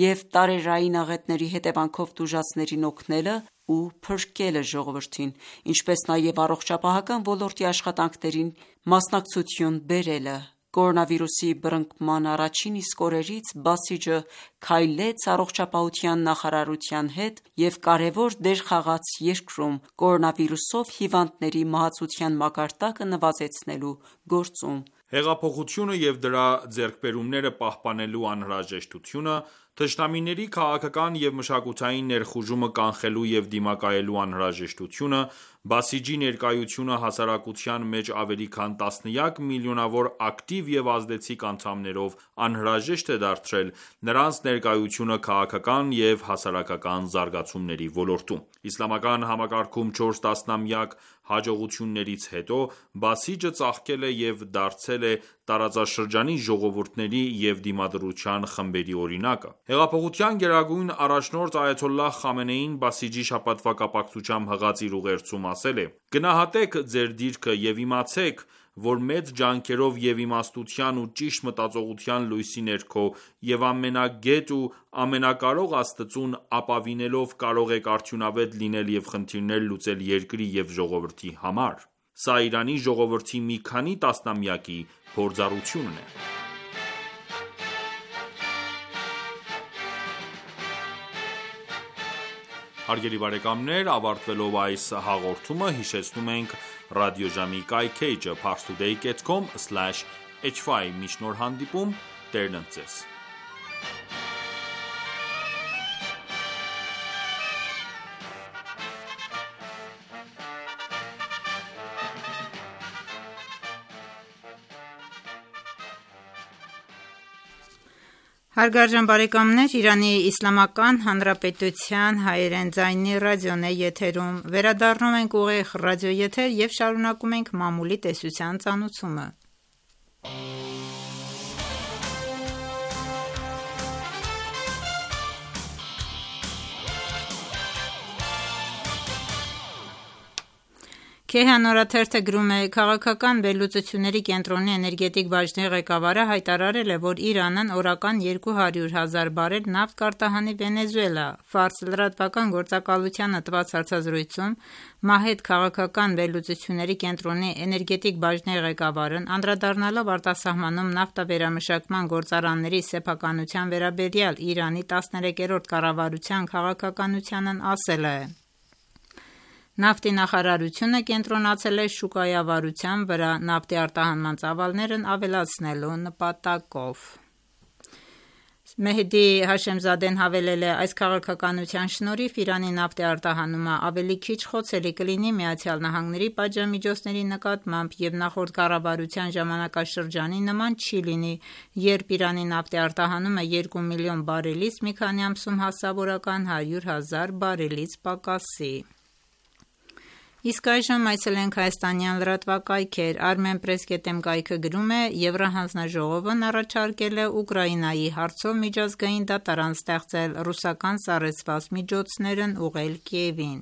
և տարերային աղետների հետևանքով տուժածներին օգնելը ու փրկելը ժողովրդին, ինչպես նաև առողջապահական ոլորտի աշխատանքներին մասնակցություն բերելը: Կորոնավիրուսի բռնկման առաջին իսկ օրերից Բասիջը քայլեց առողջապահության նախարարության հետ և կարևոր դեր խաղաց երկրում կորոնավիրուսով հիվանդների մահացության մակարդակը նվազեցնելու գործում: Հեղափոխությունը և դրա ձեռքբերումները պահպանելու անհրաժեշտությունը Թշնամիների քաղաքական և մշակութային ներխուժումը կանխելու և դիմակայելու անհրաժեշտությունը, Բասիջի ներկայությունը հասարակության մեջ ավելի քան տասնյակ միլիոնավոր ակտիվ և ազդեցիկ անդամներով անհրաժեշտ է դարձրել նրանց ներկայությունը քաղաքական և հասարակական զարգացումների ոլորտում: Իսլամական համակարգում 4 տասնամյակ հաջողություններից հետո, Բասիջը ծաղկել է և դարձել է տարածաշրջանի ժողովուրդների և դիմադրության խմբերի օրինակը: Հեղափոխության գերագույն առաջնորդ Այաթոլլահ Խամենեին Բասիջի շաբաթվա կապակցությամբ հղած իր ուղերձում ասել է. «Գնահատեք ձեր դիրքը և իմացեք, որ մեծ ջանքերով և իմաստության ու ճիշտ մտածողության լույսի ներքո և ամենագետ ու ամենակարող Աստծուն ապավինելով կարող եք արդյունավետ լինել և խնդիրներ լուծել երկրի և ժողովրդի համար: Սա Իրանի ժողովրդի մի քանի տասնամյակի փորձառությունն է»: Հարգելի բարեկամներ, ավարտվելով այս հաղորդումը, հիշեցնում ենք ռադիոժամի կայքէջը parstoday.com/hy: Մինչ նոր հանդիպում, Տերն ընդ Ձեզ: Հարգարժան բարեկամներ, Իրանի Իսլամական Հանրապետության հայերեն ձայնի ռադիոն է եթերում: Վերադառնում ենք ուղիղ ռադիոեթեր և շարունակում ենք մամուլի տեսության ծանոթումը: Քեհան օրաթերթը գրում է. «Քաղաքական վերլուծությունների կենտրոնի էներգետիկ բաժնի ղեկավարը հայտարարել է, որ Իրանն օրական 200,000 բարել նավթ կարտահանի Վենեսուելա: Ֆարս լրատվական գործակալությանը տված հարցազրույցում Մահեդ քաղաքական վերլուծությունների կենտրոնի էներգետիկ բաժնի ղեկավարն անդրադառնալով արտասահմանում նավթավերամշակման գործարանների սեփականության վերաբերյալ Իրանի 13-րդ կառավարության քաղաքականությանն ասել է. «Նավթի նախարարությունը կենտրոնացել է շուկայավարության վրա՝ նավթի արտահանման ծավալներն ավելացնելու նպատակով»: Մեհդի Հաշեմզադեն հավելել է. «Այս քաղաքականության շնորհիվ Իրանի նավթի արտահանումը ավելի քիչ խոցելի կլինի ԱՄՆ-ի պատժամիջոցների նկատմամբ և նախորդ կառավարության ժամանակաշրջանի նման չի լինի, երբ Իրանի նավթի արտահանումը 2 միլիոն բարելից մի քանի ամսում հասավ օրական 100,000 բարելից պակասի»: Իսկ այժմ այցելենք հայաստանյան լրատվակայքեր: Armenpress.am կայքը գրում է. «Եվրահանձնաժողովն առաջարկել է Ուկրաինայի հարցով միջազգային դատարան ստեղծել՝ ռուսական սառեցված միջոցներն ուղղել Կիևին»: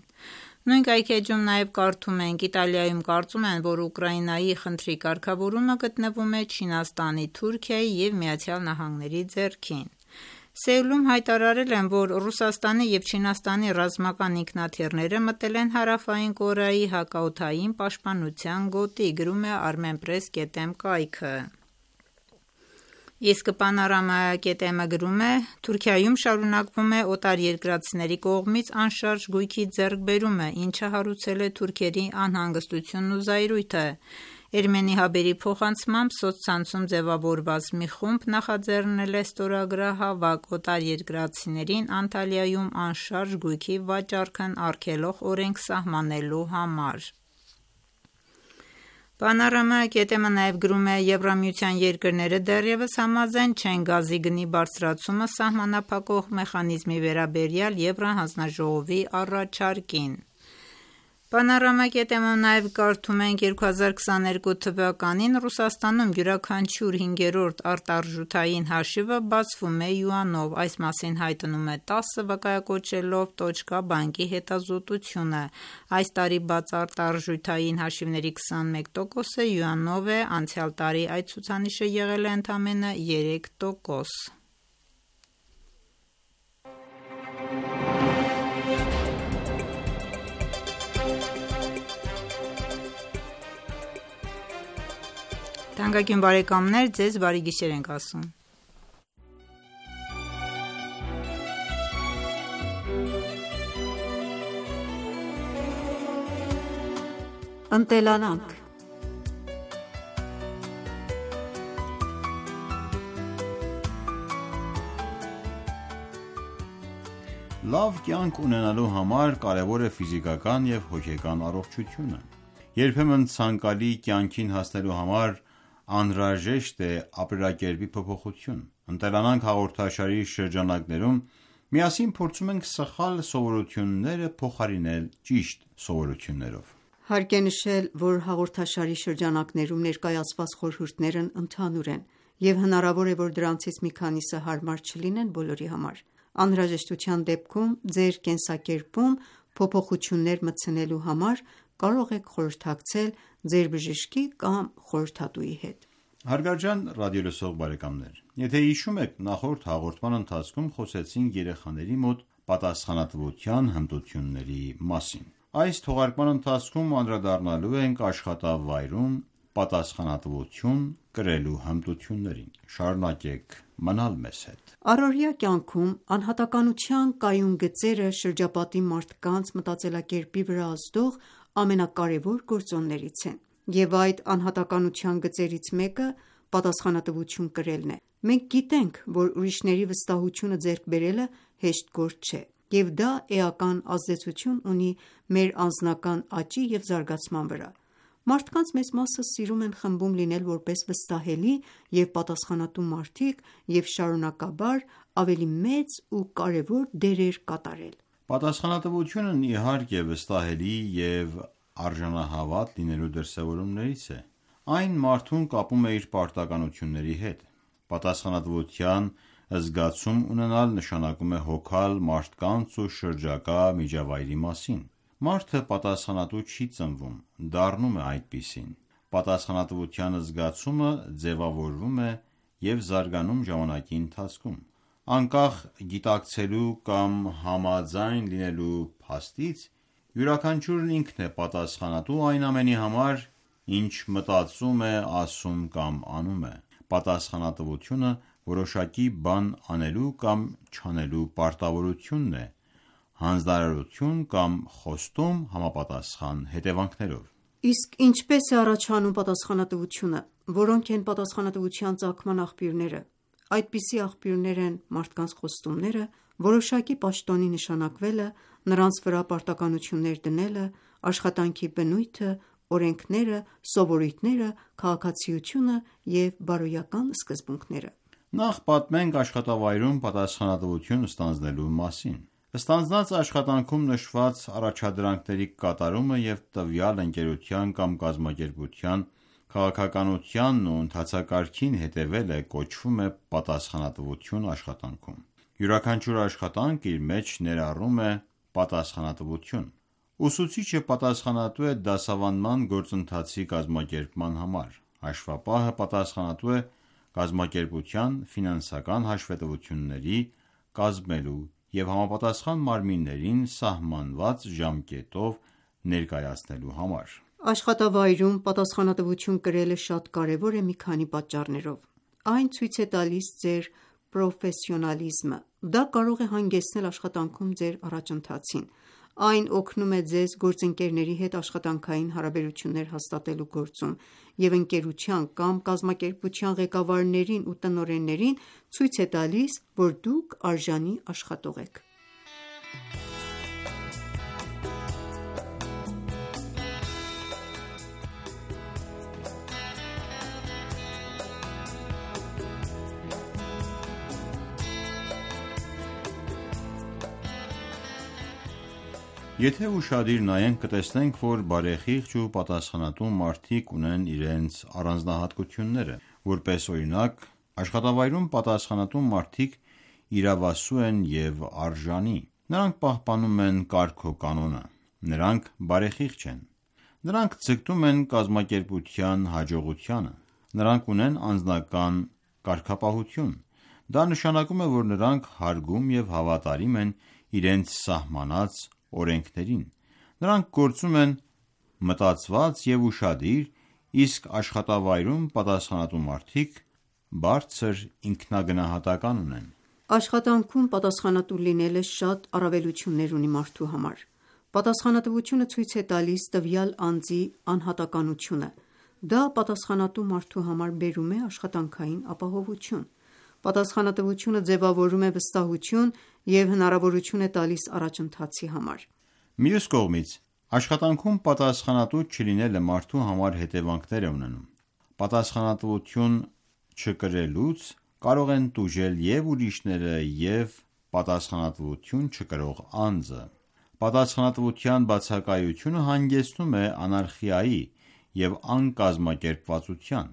Նույն կայքէջում նաև կարդում ենք. «Իտալիայում կարծում են, որ Ուկրաինայի խնդրի կարգավորումը գտնվում է Չինաստանի, Թուրքիայի և ԱՄՆ-ի ձեռքին»: Սեուլում հայտարարել են, որ Ռուսաստանի և Չինաստանի ռազմական ինքնաթիռները մտել են Հարավային Կորեայի հակաօդային պաշտպանության գոտի: Գրում է Armenpress.am կայքը: Իսկ Panorama.am-ը գրում է. «Թուրքիայում շարունակվում է օտարերկրացիների կողմից անշարժ գույքի ձեռքբերումը, ինչը հարուցել է թուրքերի անհանգստությունն ու զայրույթը»: Էրմենի հաբերի փոխանցմամբ, սոցցանցում ձևավորված մի խումբ նախաձեռնել է ստորագրահավաք՝ օտարերկրացիներին Անտալիայում անշարժ գույքի վաճառքն արգելող օրենք սահմանելու համար: Panorama.am-ը նաև գրում է. «Եվրամիության երկրները դեռևս համաձայն չեն գազի գնի բարձրացումը սահմանափակող մեխանիզմի վերաբերյալ Եվրահանձնաժողովի առաջարկին»: Panorama.am-ում նաև կարդում ենք. «2022 թվականին Ռուսաստանում յուրաքանչյուր հինգերորդ արտարժութային հաշիվը բացվում է յուանով»: Այս մասին հայտնում է ՏԱՍՍ՝ վկայակոչելով Տոչկա բանկի հետազոտությունը: Այս տարի բաց արտարժութային հաշիվների 21%-ը յուանով է, անցյալ տարի այդ ցուցանիշը եղել է ընդամենը 3%: Ընտելանանք Լավ կյանք ունենալու համար կարևոր է ֆիզիկական և հոգեկան առողջությունը։ Երբեմն ցանկալի կյանքին հասնելու համար անհրաժեշտ է ապրելակերպի փոփոխություն։ «Ընտելանանք» հաղորդաշարի շրջանակներում միասին փորձում ենք սխալ սովորությունները փոխարինել ճիշտ սովորություններով։ Հարկ է նշել, որ հաղորդաշարի շրջանակներում ներկայացված խորհուրդներն ընդհանուր են, և հնարավոր է, որ դրանցից մի քանիսը հարմար չլինեն բոլորի համար։ Անհրաժեշտության դեպքում ձեր կենսակերպում փոփոխություններ մտցնելու համար կարող եք խորհրդակցել ձեր բժշկի կամ խորհրդատուի հետ։ Հարգարժան ռադիոլսող բարեկամներ, եթե հիշում եք, նախորդ հաղորդման ընթացքում խոսեցինք երեխաների մոտ պատասխանատվության հմտությունների մասին։ Այս թողարկման ընթացքում անդրադառնալու ենք աշխատավայրում պատասխանատվություն կրելու հմտություններին։ Շարունակեք մնալ մեզ հետ։ Առօրյա կյանքում անհատականության կայուն գծերը շրջապատի մարդկանց մտածելակերպի վրա ազդող ամենակարևոր գործոններից են, և այդ անհատականության գծերից մեկը պատասխանատվություն կրելն է։ Մենք գիտենք, որ ուրիշների վստահությունը ձեռք բերելը հեշտ գործ չէ, և դա էական ազդեցություն ունի մեր անձնական աճի և զարգացման վրա։ Մարդկանց մեծ մասը սիրում են խմբում լինել որպես վստահելի և պատասխանատու մարդիկ և շարունակաբար ավելի մեծ ու կարևոր դերեր կատարել։ Պատասխանատվությունն իհարկե վստահելի և արժանահավատ լինելու դրսևորումներից է։ Այն մարդուն կապում է իր պարտականությունների հետ։ Պատասխանատվության զգացում ունենալ նշանակում է հոգալ մարդկանց ու շրջակա միջավայրի մասին։ Մարդը պատասխանատու չի ծնվում, դառնում է այդպիսին։ Պատասխանատվության զգացումը ձևավորվում է և զարգանում ժամանակի ընթացքում։ Անկախ գիտակցելու կամ համաձայն լինելու փաստից, յուրաքանչյուրն ինքն է պատասխանատու այն ամենի համար, ինչ մտածում է, ասում կամ անում է։ Պատասխանատվությունը որոշակի բան անելու կամ չանելու պարտավորությունն է, հանձնարարություն կամ խոստում համապատասխան հետևանքներով։ Իսկ ինչպե՞ս է առաջանում պատասխանատվությունը։ Որոնք են պատասխանատվության ծագման աղբյուրները։ Այդպիսի աղբյուրներ են մարդկանց խոստումները, որոշակի պաշտոնի նշանակվելը, նրանց վրա պարտականություններ դնելը, աշխատանքի բնույթը, օրենքները, սովորույթները, քաղաքացիությունը և բարոյական սկզբունքները։ Նախ պատմենք աշխատավայրում պատասխանատվություն ստանձնելու մասին։ Ստանձնած աշխատանքում նշված առաջադրանքների կատարումը և տվյալ ընկերության կամ կազմակերպության քաղաքականությանն ու ընթացակարգին հետևելը կոչվում է պատասխանատվություն աշխատանքում։ Յուրաքանչյուր աշխատանք իր մեջ ներառում է պատասխանատվություն։ Ուսուցիչը պատասխանատու է դասավանդման գործընթացի կազմակերպման համար։ Հաշվապահը պատասխանատու է կազմակերպության ֆինանսական հաշվետվությունների կազմելու և համապատասխան մարմիններին սահմանված ժամկետով ներկայացնելու համար։ Աշխատավայրում պատասխանատվություն կրելը շատ կարևոր է մի քանի պատճառներով։ Այն ցույց է տալիս ձեր պրոֆեսիոնալիզմը։ Դա կարող է հանգեցնել աշխատանքում ձեր առաջընթացին։ Այն օգնում է ձեզ գործընկերների հետ աշխատանքային հարաբերություններ հաստատելու գործում և ընկերության կամ կազմակերպության ղեկավարներին ու տնօրեններին ցույց է տալիս, որ դուք արժանի աշխատող եք։ Եթե ուշադիր նայենք, կտեսնենք, որ բարեխիղճ ու պատասխանատու մարդիկ ունեն իրենց առանձնահատկությունները։ Որպես օրինակ, աշխատավայրում պատասխանատու մարդիկ իրավասու են և արժանի։ Նրանք պահպանում են կարգոկանոնը։ Նրանք բարեխիղճ են։ Նրանք ձգտում են կազմակերպության հաջողությանը։ Նրանք ունեն անձնական կարգապահություն։ Դա նշանակում է, որ նրանք հարգում և հավատարիմ են իրենց սահմանած օրենքներին։ Նրանք գործում են մտածված և ուշադիր, իսկ աշխատավայրում պատասխանատու մարդիկ բարձր ինքնագնահատական ունեն։ Աշխատանքում պատասխանատու լինելը շատ առավելություններ ունի մարդու համար։ Պատասխանատվությունը ցույց է տալիս տվյալ անձի անհատականությունը։ Դա պատասխանատու մարդու համար բերում է աշխատանքային ապահովություն։ Պատասխանատվությունը ձևավորում է վստահություն և հնարավորություն է տալիս առաջընթացի համար։ Մյուս կողմից, աշխատանքում պատասխանատու չլինելը մարդու համար հետևանքներ է ունենում։ Պատասխանատվություն չկրելուց կարող են տուժել և ուրիշները, և պատասխանատվություն չկրող անձը։ Պատասխանատվության բացակայությունը հանգեցնում է անարխիայի և անկազմակերպվածության,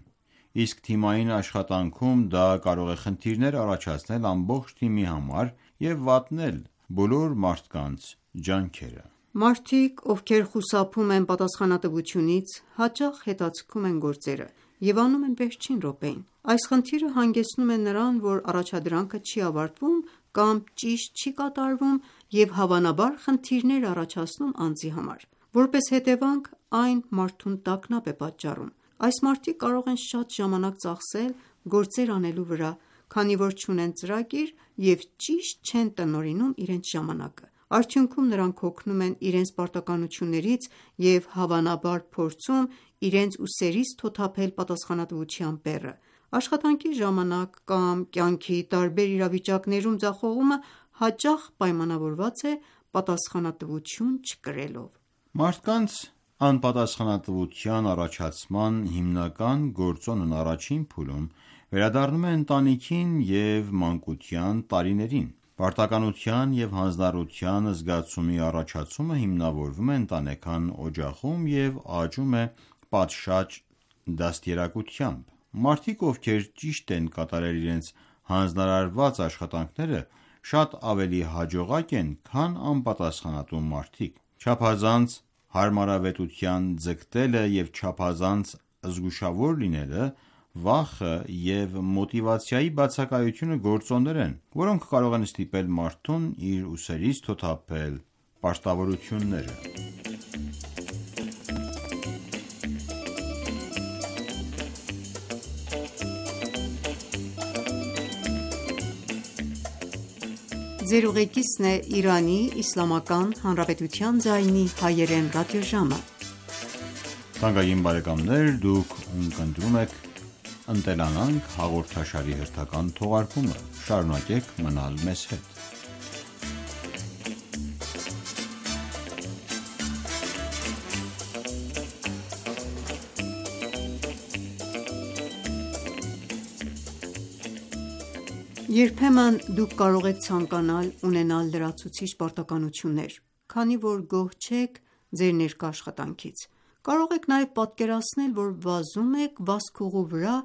իսկ թիմային աշխատանքում դա կարող է խնդիրներ առաջացնել ամբողջ թիմի համար և վատնել բոլոր մարդկանց ջանքերը։ Մարդիկ, ովքեր խուսափում են պատասխանատվությունից, հաճախ հետաձգում են գործերը և անում են վերջին րոպեին։ Այս խնդիրը հանգեցնում է նրան, որ առաջադրանքը չի ավարտվում կամ ճիշտ չի կատարվում և հավանաբար խնդիրներ է առաջացնում անձի համար։ Որպես հետևանք, այն մարդուն տագնապ է պատճառում։ Այս մարդիկ կարող են շատ ժամանակ ծախսել գործեր անելու վրա, քանի որ չունեն ծրագիր և ճիշտ չեն տնօրինում իրենց ժամանակը։ Արդյունքում նրանք հոգնում են իրենց պարտականություններից և հավանաբար փորձում իրենց ուսերից թոթափել պատասխանատվության բեռը։ Աշխատանքի ժամանակ կամ կյանքի տարբեր իրավիճակներում ձախողումը հաճախ պայմանավորված է պատասխանատվություն չկրելով։ Մարդկանց անպատասխանատվության առաջացման հիմնական գործոնն առաջին փուլում վերադառնում է ընտանիքին և մանկության տարիներին։ Պարտականության և հանձնառության զգացումի առաջացումը հիմնավորվում է ընտանեկան օջախում և աճում է պատշաճ դաստիարակությամբ։ Մարդիկ, ովքեր ճիշտ են կատարել իրենց հանձնարարված աշխատանքները, շատ ավելի հաջողակ են, քան անպատասխանատու մարդիկ։ Չափազանց հարմարավետության ձգտելը և չափազանց զգուշավոր լինելը, վախը և մոտիվացիայի բացակայությունը գործոններ են, որոնք կարող են ստիպել մարդուն իր ուսերից թոթափել պարտավորությունները։ Երբեմն դուք կարող եք ցանկանալ ունենալ լրացուցիչ պարտականություններ, քանի որ գոհ չեք ձեր ներկա աշխատանքից։ Կարող եք նաև պատկերացնել, որ վազում եք վազքուղու վրա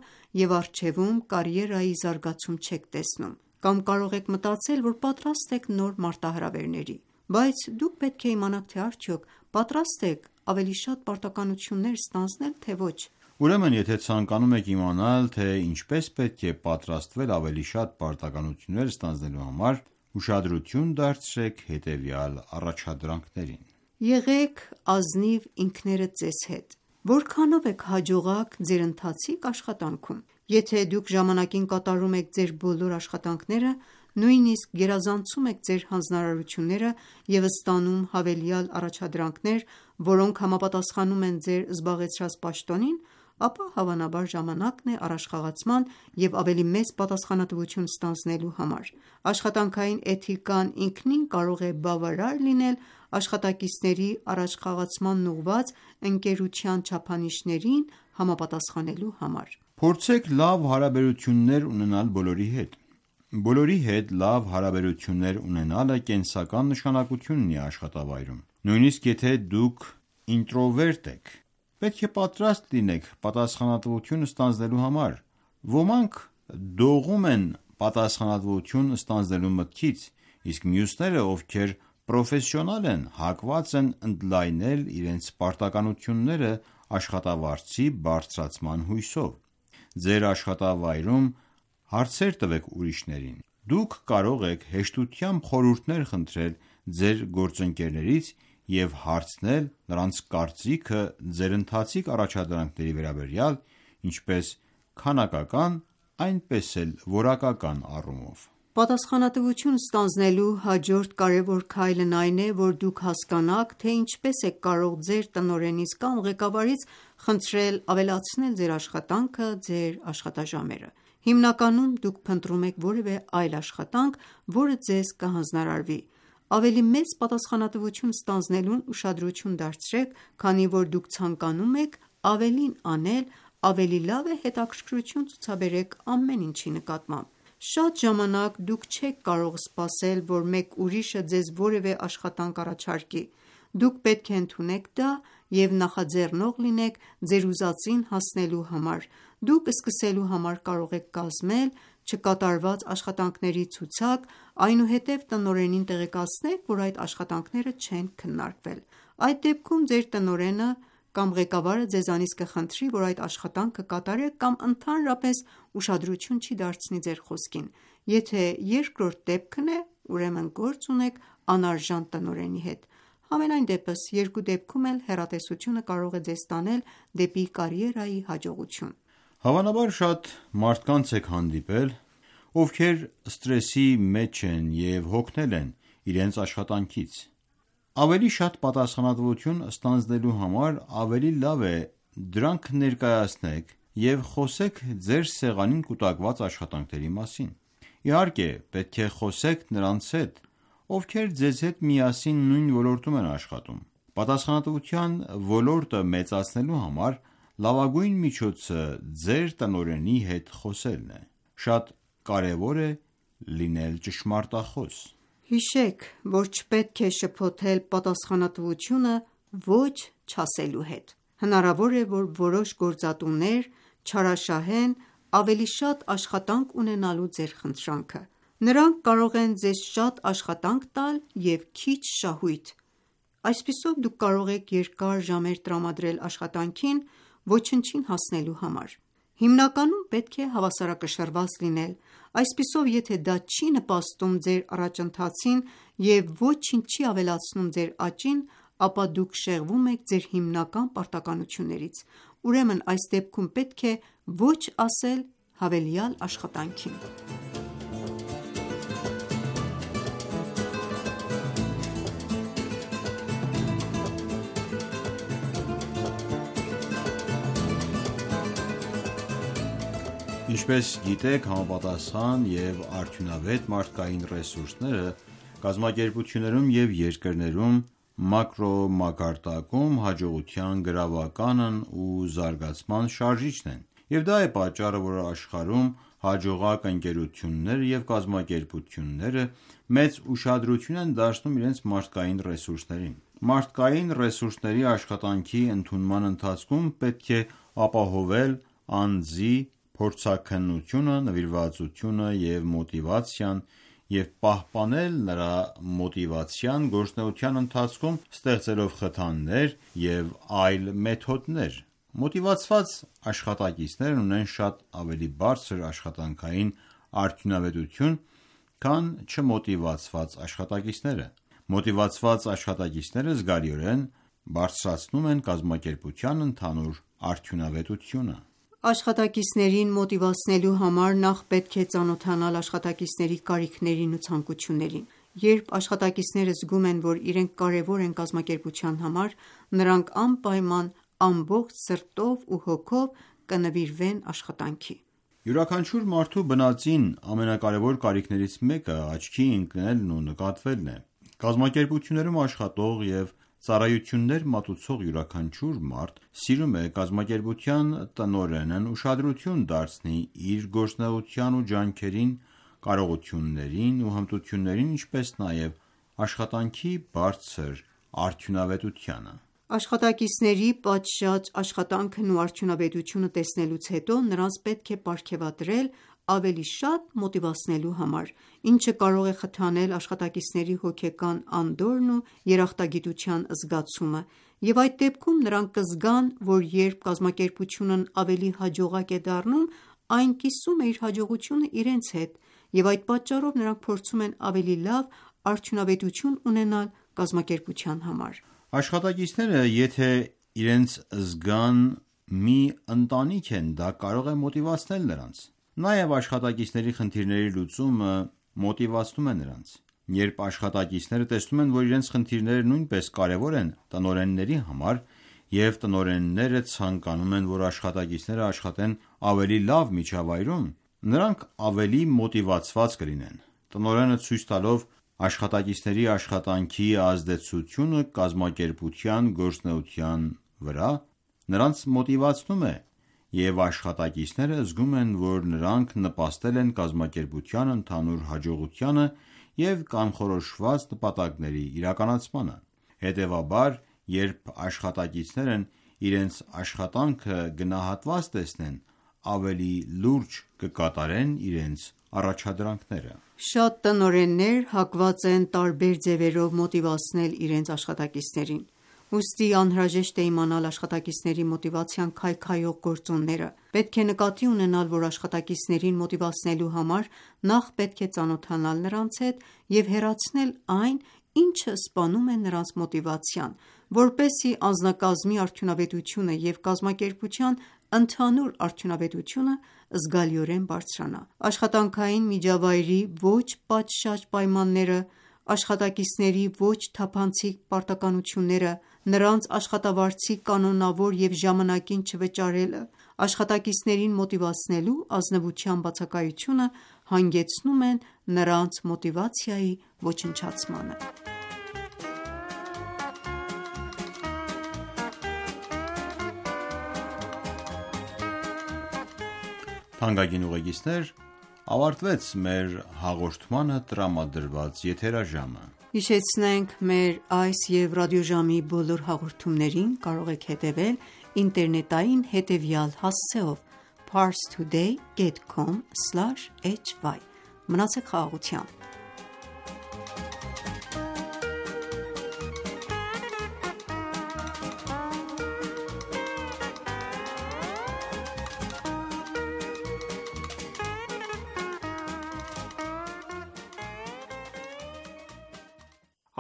և առջևում կարիերայի զարգացում չեք տեսնում, կամ կարող եք մտածել, որ պատրաստ եք նոր մարտահրավերների, բայց դուք պետք է իմանաք, թե արդյոք պատրաստ եք ավելի շատ պարտականություններ ստանձնել, թե ոչ։ Ուրեմն, եթե ցանկանում եք իմանալ, թե ինչպես պետք է պատրաստվել ավելի շատ պարտականություններ ստանձնելու համար, ուշադրություն դարձրեք հետևյալ առաջադրանքներին։ Եղեք ազնիվ ինքներդ ձեզ հետ։ Որքանով եք հաջողակ ձեր ընթացիկ աշխատանքում։ Եթե դուք ժամանակին կատարում եք ձեր բոլոր աշխատանքները, նույնիսկ գերազանցում եք ձեր հանձնարարությունները և ստանում հավելյալ առաջադրանքներ, որոնք համապատասխանում են ձեր զբաղեցրած պաշտոնին, ապա հավանաբար ժամանակն է առաջխաղացման և ավելի մեծ պատասխանատվություն ստանձնելու համար։ Աշխատանքային էթիկան ինքնին կարող է բավարար լինել աշխատակիցների առաջխաղացմանն ուղղված ընկերության չափանիշներին համապատասխանելու համար։ Փորձեք լավ հարաբերություններ ունենալ բոլորի հետ։ Բոլորի հետ լավ հարաբերություններ ունենալը կենսական նշանակություն ունի աշխատավայրում։ Նույնիսկ եթե դուք ինտրովերտ եք, պետք է պատրաստ լինեք պատասխանատվություն ստանձնելու համար։ Ոմանք դողում են պատասխանատվություն ստանձնելու մտքից, իսկ մյուսները, ովքեր պրոֆեսիոնալ են, հակված են ընդլայնել իրենց պարտականությունները աշխատավարձի բարձրացման հույսով։ Ձեր աշխատավայրում հարցեր տվեք ուրիշներին։ Դուք կարող եք հեշտությամբ խորհուրդներ խնդրել ձեր գործընկերներից և հարցնել նրանց կարծիքը ձեր ընթացիկ առաջադրանքների վերաբերյալ, ինչպես քանակական, այնպես էլ որակական առումով։ Պատասխանատվություն ստանձնելու հաջորդ կարևոր քայլն այն է, որ դուք հասկանաք, թե ինչպես եք կարող ձեր տնօրենից կամ ղեկավարից խնդրել ավելացնել ձեր աշխատանքը, ձեր աշխատաժամերը։ Հիմնականում դուք փնտրում եք որևէ այլ աշխատանք, որը ձեզ կհանձնարարվի: Ավելի մեծ պատասխանատվություն ստանձնելուն ուշադրություն դարձրեք, քանի որ դուք ցանկանում եք ավելին անել, ավելի լավ է հետաքրքրություն ցուցաբերեք ամեն ինչի նկատմամբ: Շատ ժամանակ դուք չեք կարող սպասել, որ մեկ ուրիշը ձեզ որևէ աշխատանք առաջարկի: Դուք պետք է ընդունեք դա և նախաձեռնող լինեք ձեր ուզածին հասնելու համար: Դուք սկսելու համար կարող եք կազմել չկատարված աշխատանքների ցուցակ, այնուհետև տնօրենին տեղեկացնեք, որ այդ աշխատանքները չեն քննարկվել: Այդ դեպքում ձեր տնօրենը կամ ղեկավարը ձեզանից կխնդրի, որ այդ աշխատանքը կատարեք կամ ընդհանրապես ուշադրություն չի դարձնի ձեր խոսքին: Եթե երկրորդ դեպքն է, ուրեմն գործ ունեք անարժան տնօրենի հետ: Համենայն դեպս, երկու դեպքում էլ հեռատեսությունը կարող է ձեզ տանել դեպի կարիերայի հաջողություն: Հավանաբար շատ մարդկանց եք հանդիպել, ովքեր սթրեսի մեջ են և հոգնել են իրենց աշխատանքից: Ավելի շատ պատասխանատվություն ստանձնելու համար ավելի լավ է դրանք ներկայացնեք և խոսեք ձեր սեղանին կուտակված աշխատանքների մասին: Իհարկե, պետք է խոսեք նրանց հետ, ովքեր ձեզ հետ միասին նույն ոլորտում են աշխատում: Պատասխանատվության ոլորտը մեծացնելու համար լավագույն միջոցը ձեր տնօրենի հետ խոսելն է: Շատ կարևոր է լինել ճշմարտախոս: Հիշեք, որ չպետք է շփոթել պատասխանատվությունը ոչ չասելու հետ: Հնարավոր է, որ որոշ գործատուներ չարաշահեն ավելի շատ աշխատանք ունենալու ձեր խնդրանքը: Նրանք կարող են ձեզ շատ աշխատանք տալ և քիչ շահույթ: Այսպիսով դուք կարող եք երկար ժամեր տրամադրել աշխատանքին, ոչնչին հասնելու համար: Հիմնականում պետք է հավասարակշռված լինել: Այսպիսով, եթե դա չի նպաստում ձեր առաջընթացին և ոչինչ չի ավելացնում ձեր աճին, ապա դուք շեղվում եք ձեր հիմնական պարտականություններից: Ուրեմն այս դեպքում պետք է ոչ ասել հավելյալ աշխատանքին: Ինչպես գիտեք, համապատասխան և արդյունավետ մարդկային ռեսուրսները կազմակերպություններում և երկրներում մակրոմակարդակում հաջողության գրավականն ու զարգացման շարժիչն են: Եվ դա է պատճառը, որ աշխարհում հաջողակ ընկերությունները և կազմակերպությունները մեծ ուշադրություն են դարձնում իրենց մարդկային ռեսուրսներին: Մարդկային ռեսուրսների աշխատանքի ընդունման ընթացքում պետք է ապահովել անձի փորձաքննությունը, նվիրվածությունը և մոտիվացիան և պահպանել նրա մոտիվացիան գործունեության ընթացքում ստեղծելով խթաններ և այլ մեթոդներ: Մոտիվացված աշխատակիցներն ունեն շատ ավելի բարձր աշխատանքային արդյունավետություն, քան չմոտիվացված աշխատակիցները: Մոտիվացված աշխատակիցները զգալիորեն բարձրացնում են կազմակերպության ընդհանուր արդյունավետությունը: Աշխատակիցներին մոտիվացնելու համար նախ պետք է ծանոթանալ աշխատակիցների կարիքներին ու ցանկություններին: Երբ աշխատակիցները զգում են, որ իրենք կարևոր են կազմակերպության համար, նրանք անպայման ամբողջ սրտով ու հոգով կնվիրվեն աշխատանքի: Յուրաքանչյուր մարդու բնածին ամենակարևոր կարիքներից մեկը աչքի ընկնելն ու նկատվելն է: Կազմակերպություններում աշխատող և ծառայություններ մատուցող յուրաքանչյուր մարդ սիրում է կազմակերպության տնօրենն ուշադրություն դարձնի իր գործունեության ու ջանքերին, կարողություններին ու հմտություններին, ինչպես նաև աշխատանքի բարձր արդյունավետությանը: Աշխատակիցների պատշաճ աշխատանքն ու արդյունավետությունը տեսնելուց հետո նրանց պետք է պարգևատրել ավելի շատ մոտիվացնելու համար, ինչը կարող է խթանել աշխատակիցների հոգեկան անդորրն ու երախտագիտության զգացումը և այդ դեպքում նրանք կզգան, որ երբ կազմակերպությունն ավելի հաջողակ է դառնում, այն կիսում է իր հաջողությունը իրենց հետ և այդ պատճառով նրանք փորձում են ավելի լավ արդյունավետություն ունենալ կազմակերպության համար: Աշխատակիցները եթե իրենց զգան մի ընտանիք են, դա կարող է մոտիվացնել նրանց: Նաև աշխատակիցների խնդիրների լուծումը մոտիվացնում է նրանց: Երբ աշխատակիցները տեսնում են, որ իրենց խնդիրները նույնպես կարևոր են տնօրենների համար և տնօրենները ցանկանում են, որ աշխատակիցները աշխատեն ավելի լավ միջավայրում, Նրանք ավելի մոտիվացված կլինեն։ Տնօրենը ցույց տալով աշխատակիցների աշխատանքի ազդեցությունը կազմակերպության գործունեության վրա, նրանց մոտիվացնում է, և աշխատակիցները զգում են, որ նրանք նպաստել են կազմակերպության ընդհանուր հաջողությանը և կանխորոշված նպատակների իրականացմանը։ Հետևաբար, երբ աշխատակիցներն իրենց աշխատանքը գնահատված տեսնեն, ավելի լուրջ կկատարեն իրենց առաջադրանքները։ Շատ տնօրեններ հակված են տարբեր ձևերով մոտիվացնել իրենց աշխատակիցներին։ Ուստի անհրաժեշտ է իմանալ աշխատակիցների մոտիվացիան քայքայող գործոնները։ Պետք է նկատի ունենալ, որ աշխատակիցներին մոտիվացնելու համար նախ պետք է ծանոթանալ նրանց հետ և հեռացնել այն, ինչը սպանում է նրանց մոտիվացիան, որպեսզի անձնակազմի արդյունավետությունը և կազմակերպության ընդհանուր արդյունավետությունը զգալիորեն բարձրանա։ Աշխատանքային միջավայրի ոչ պատշաճ պայմանները, աշխատակիցների ոչ թափանցիկ պարտականությունները, նրանց աշխատավարձի կանոնավոր և ժամանակին չվճարելը, աշխատակիցներին մոտիվացնելու ազնվության բացակայությունը հանգեցնում են նրանց մոտիվացիայի ոչնչացմանը։ Թանկագին ուղեկիցներ, ավարտվեց մեր հաղորդմանը տրամադրված եթերաժամը։ Հիշեցնենք, մեր այս և ռադիոժամի բոլոր հաղորդումներին կարող եք հետևել ինտերնետային հետևյալ հասցեով՝ parstoday.com/hy: Մնացեք խաղաղությամբ։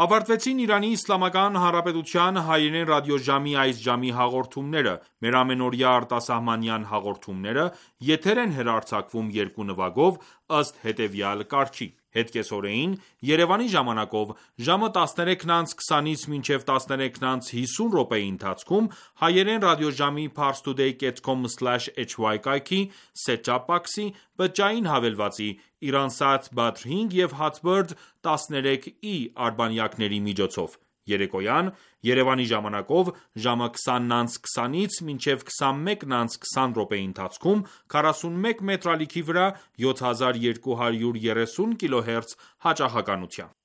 Ավարտվեցին Իրանի Իսլամական Հանրապետության հայերեն ռադիոժամի այս ժամի հաղորդումները։ Մեր ամենօրյա արտասահմանյան հաղորդումները եթեր են հեռարձակվում երկու նվագով ըստ հետևյալ կարգի: Հետկեսօրեին Երևանի ժամանակով ժամը 13:20-ից մինչև 13:50 րոպեի ընթացքում հայերեն ռադիոժամի parstoday.com/hy կայքի set-top box-ի բջջային հավելվածի Iransat Badr 5 և Hotbird 13i արբանյակների միջոցով, երեկոյան Երևանի ժամանակով ժամը 20:20-ից մինչև 21:20 րոպեի ընթացքում 41 մետրալիքի վրա 7230 kHz հաճախականությամբ։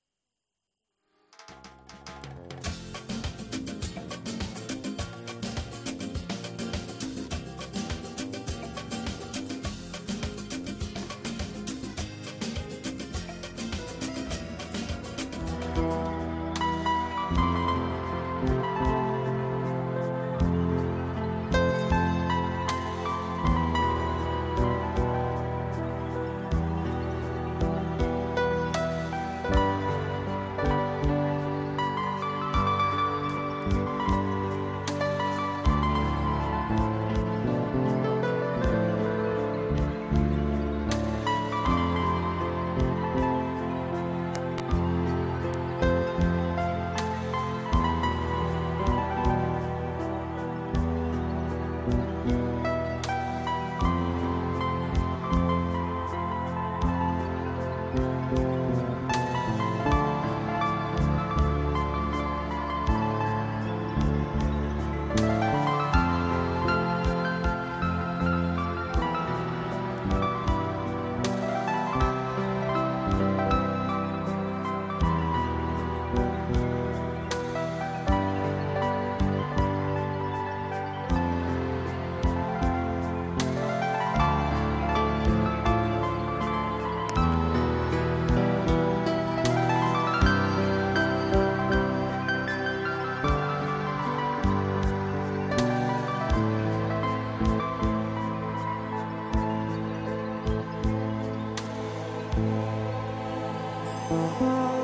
Thank you.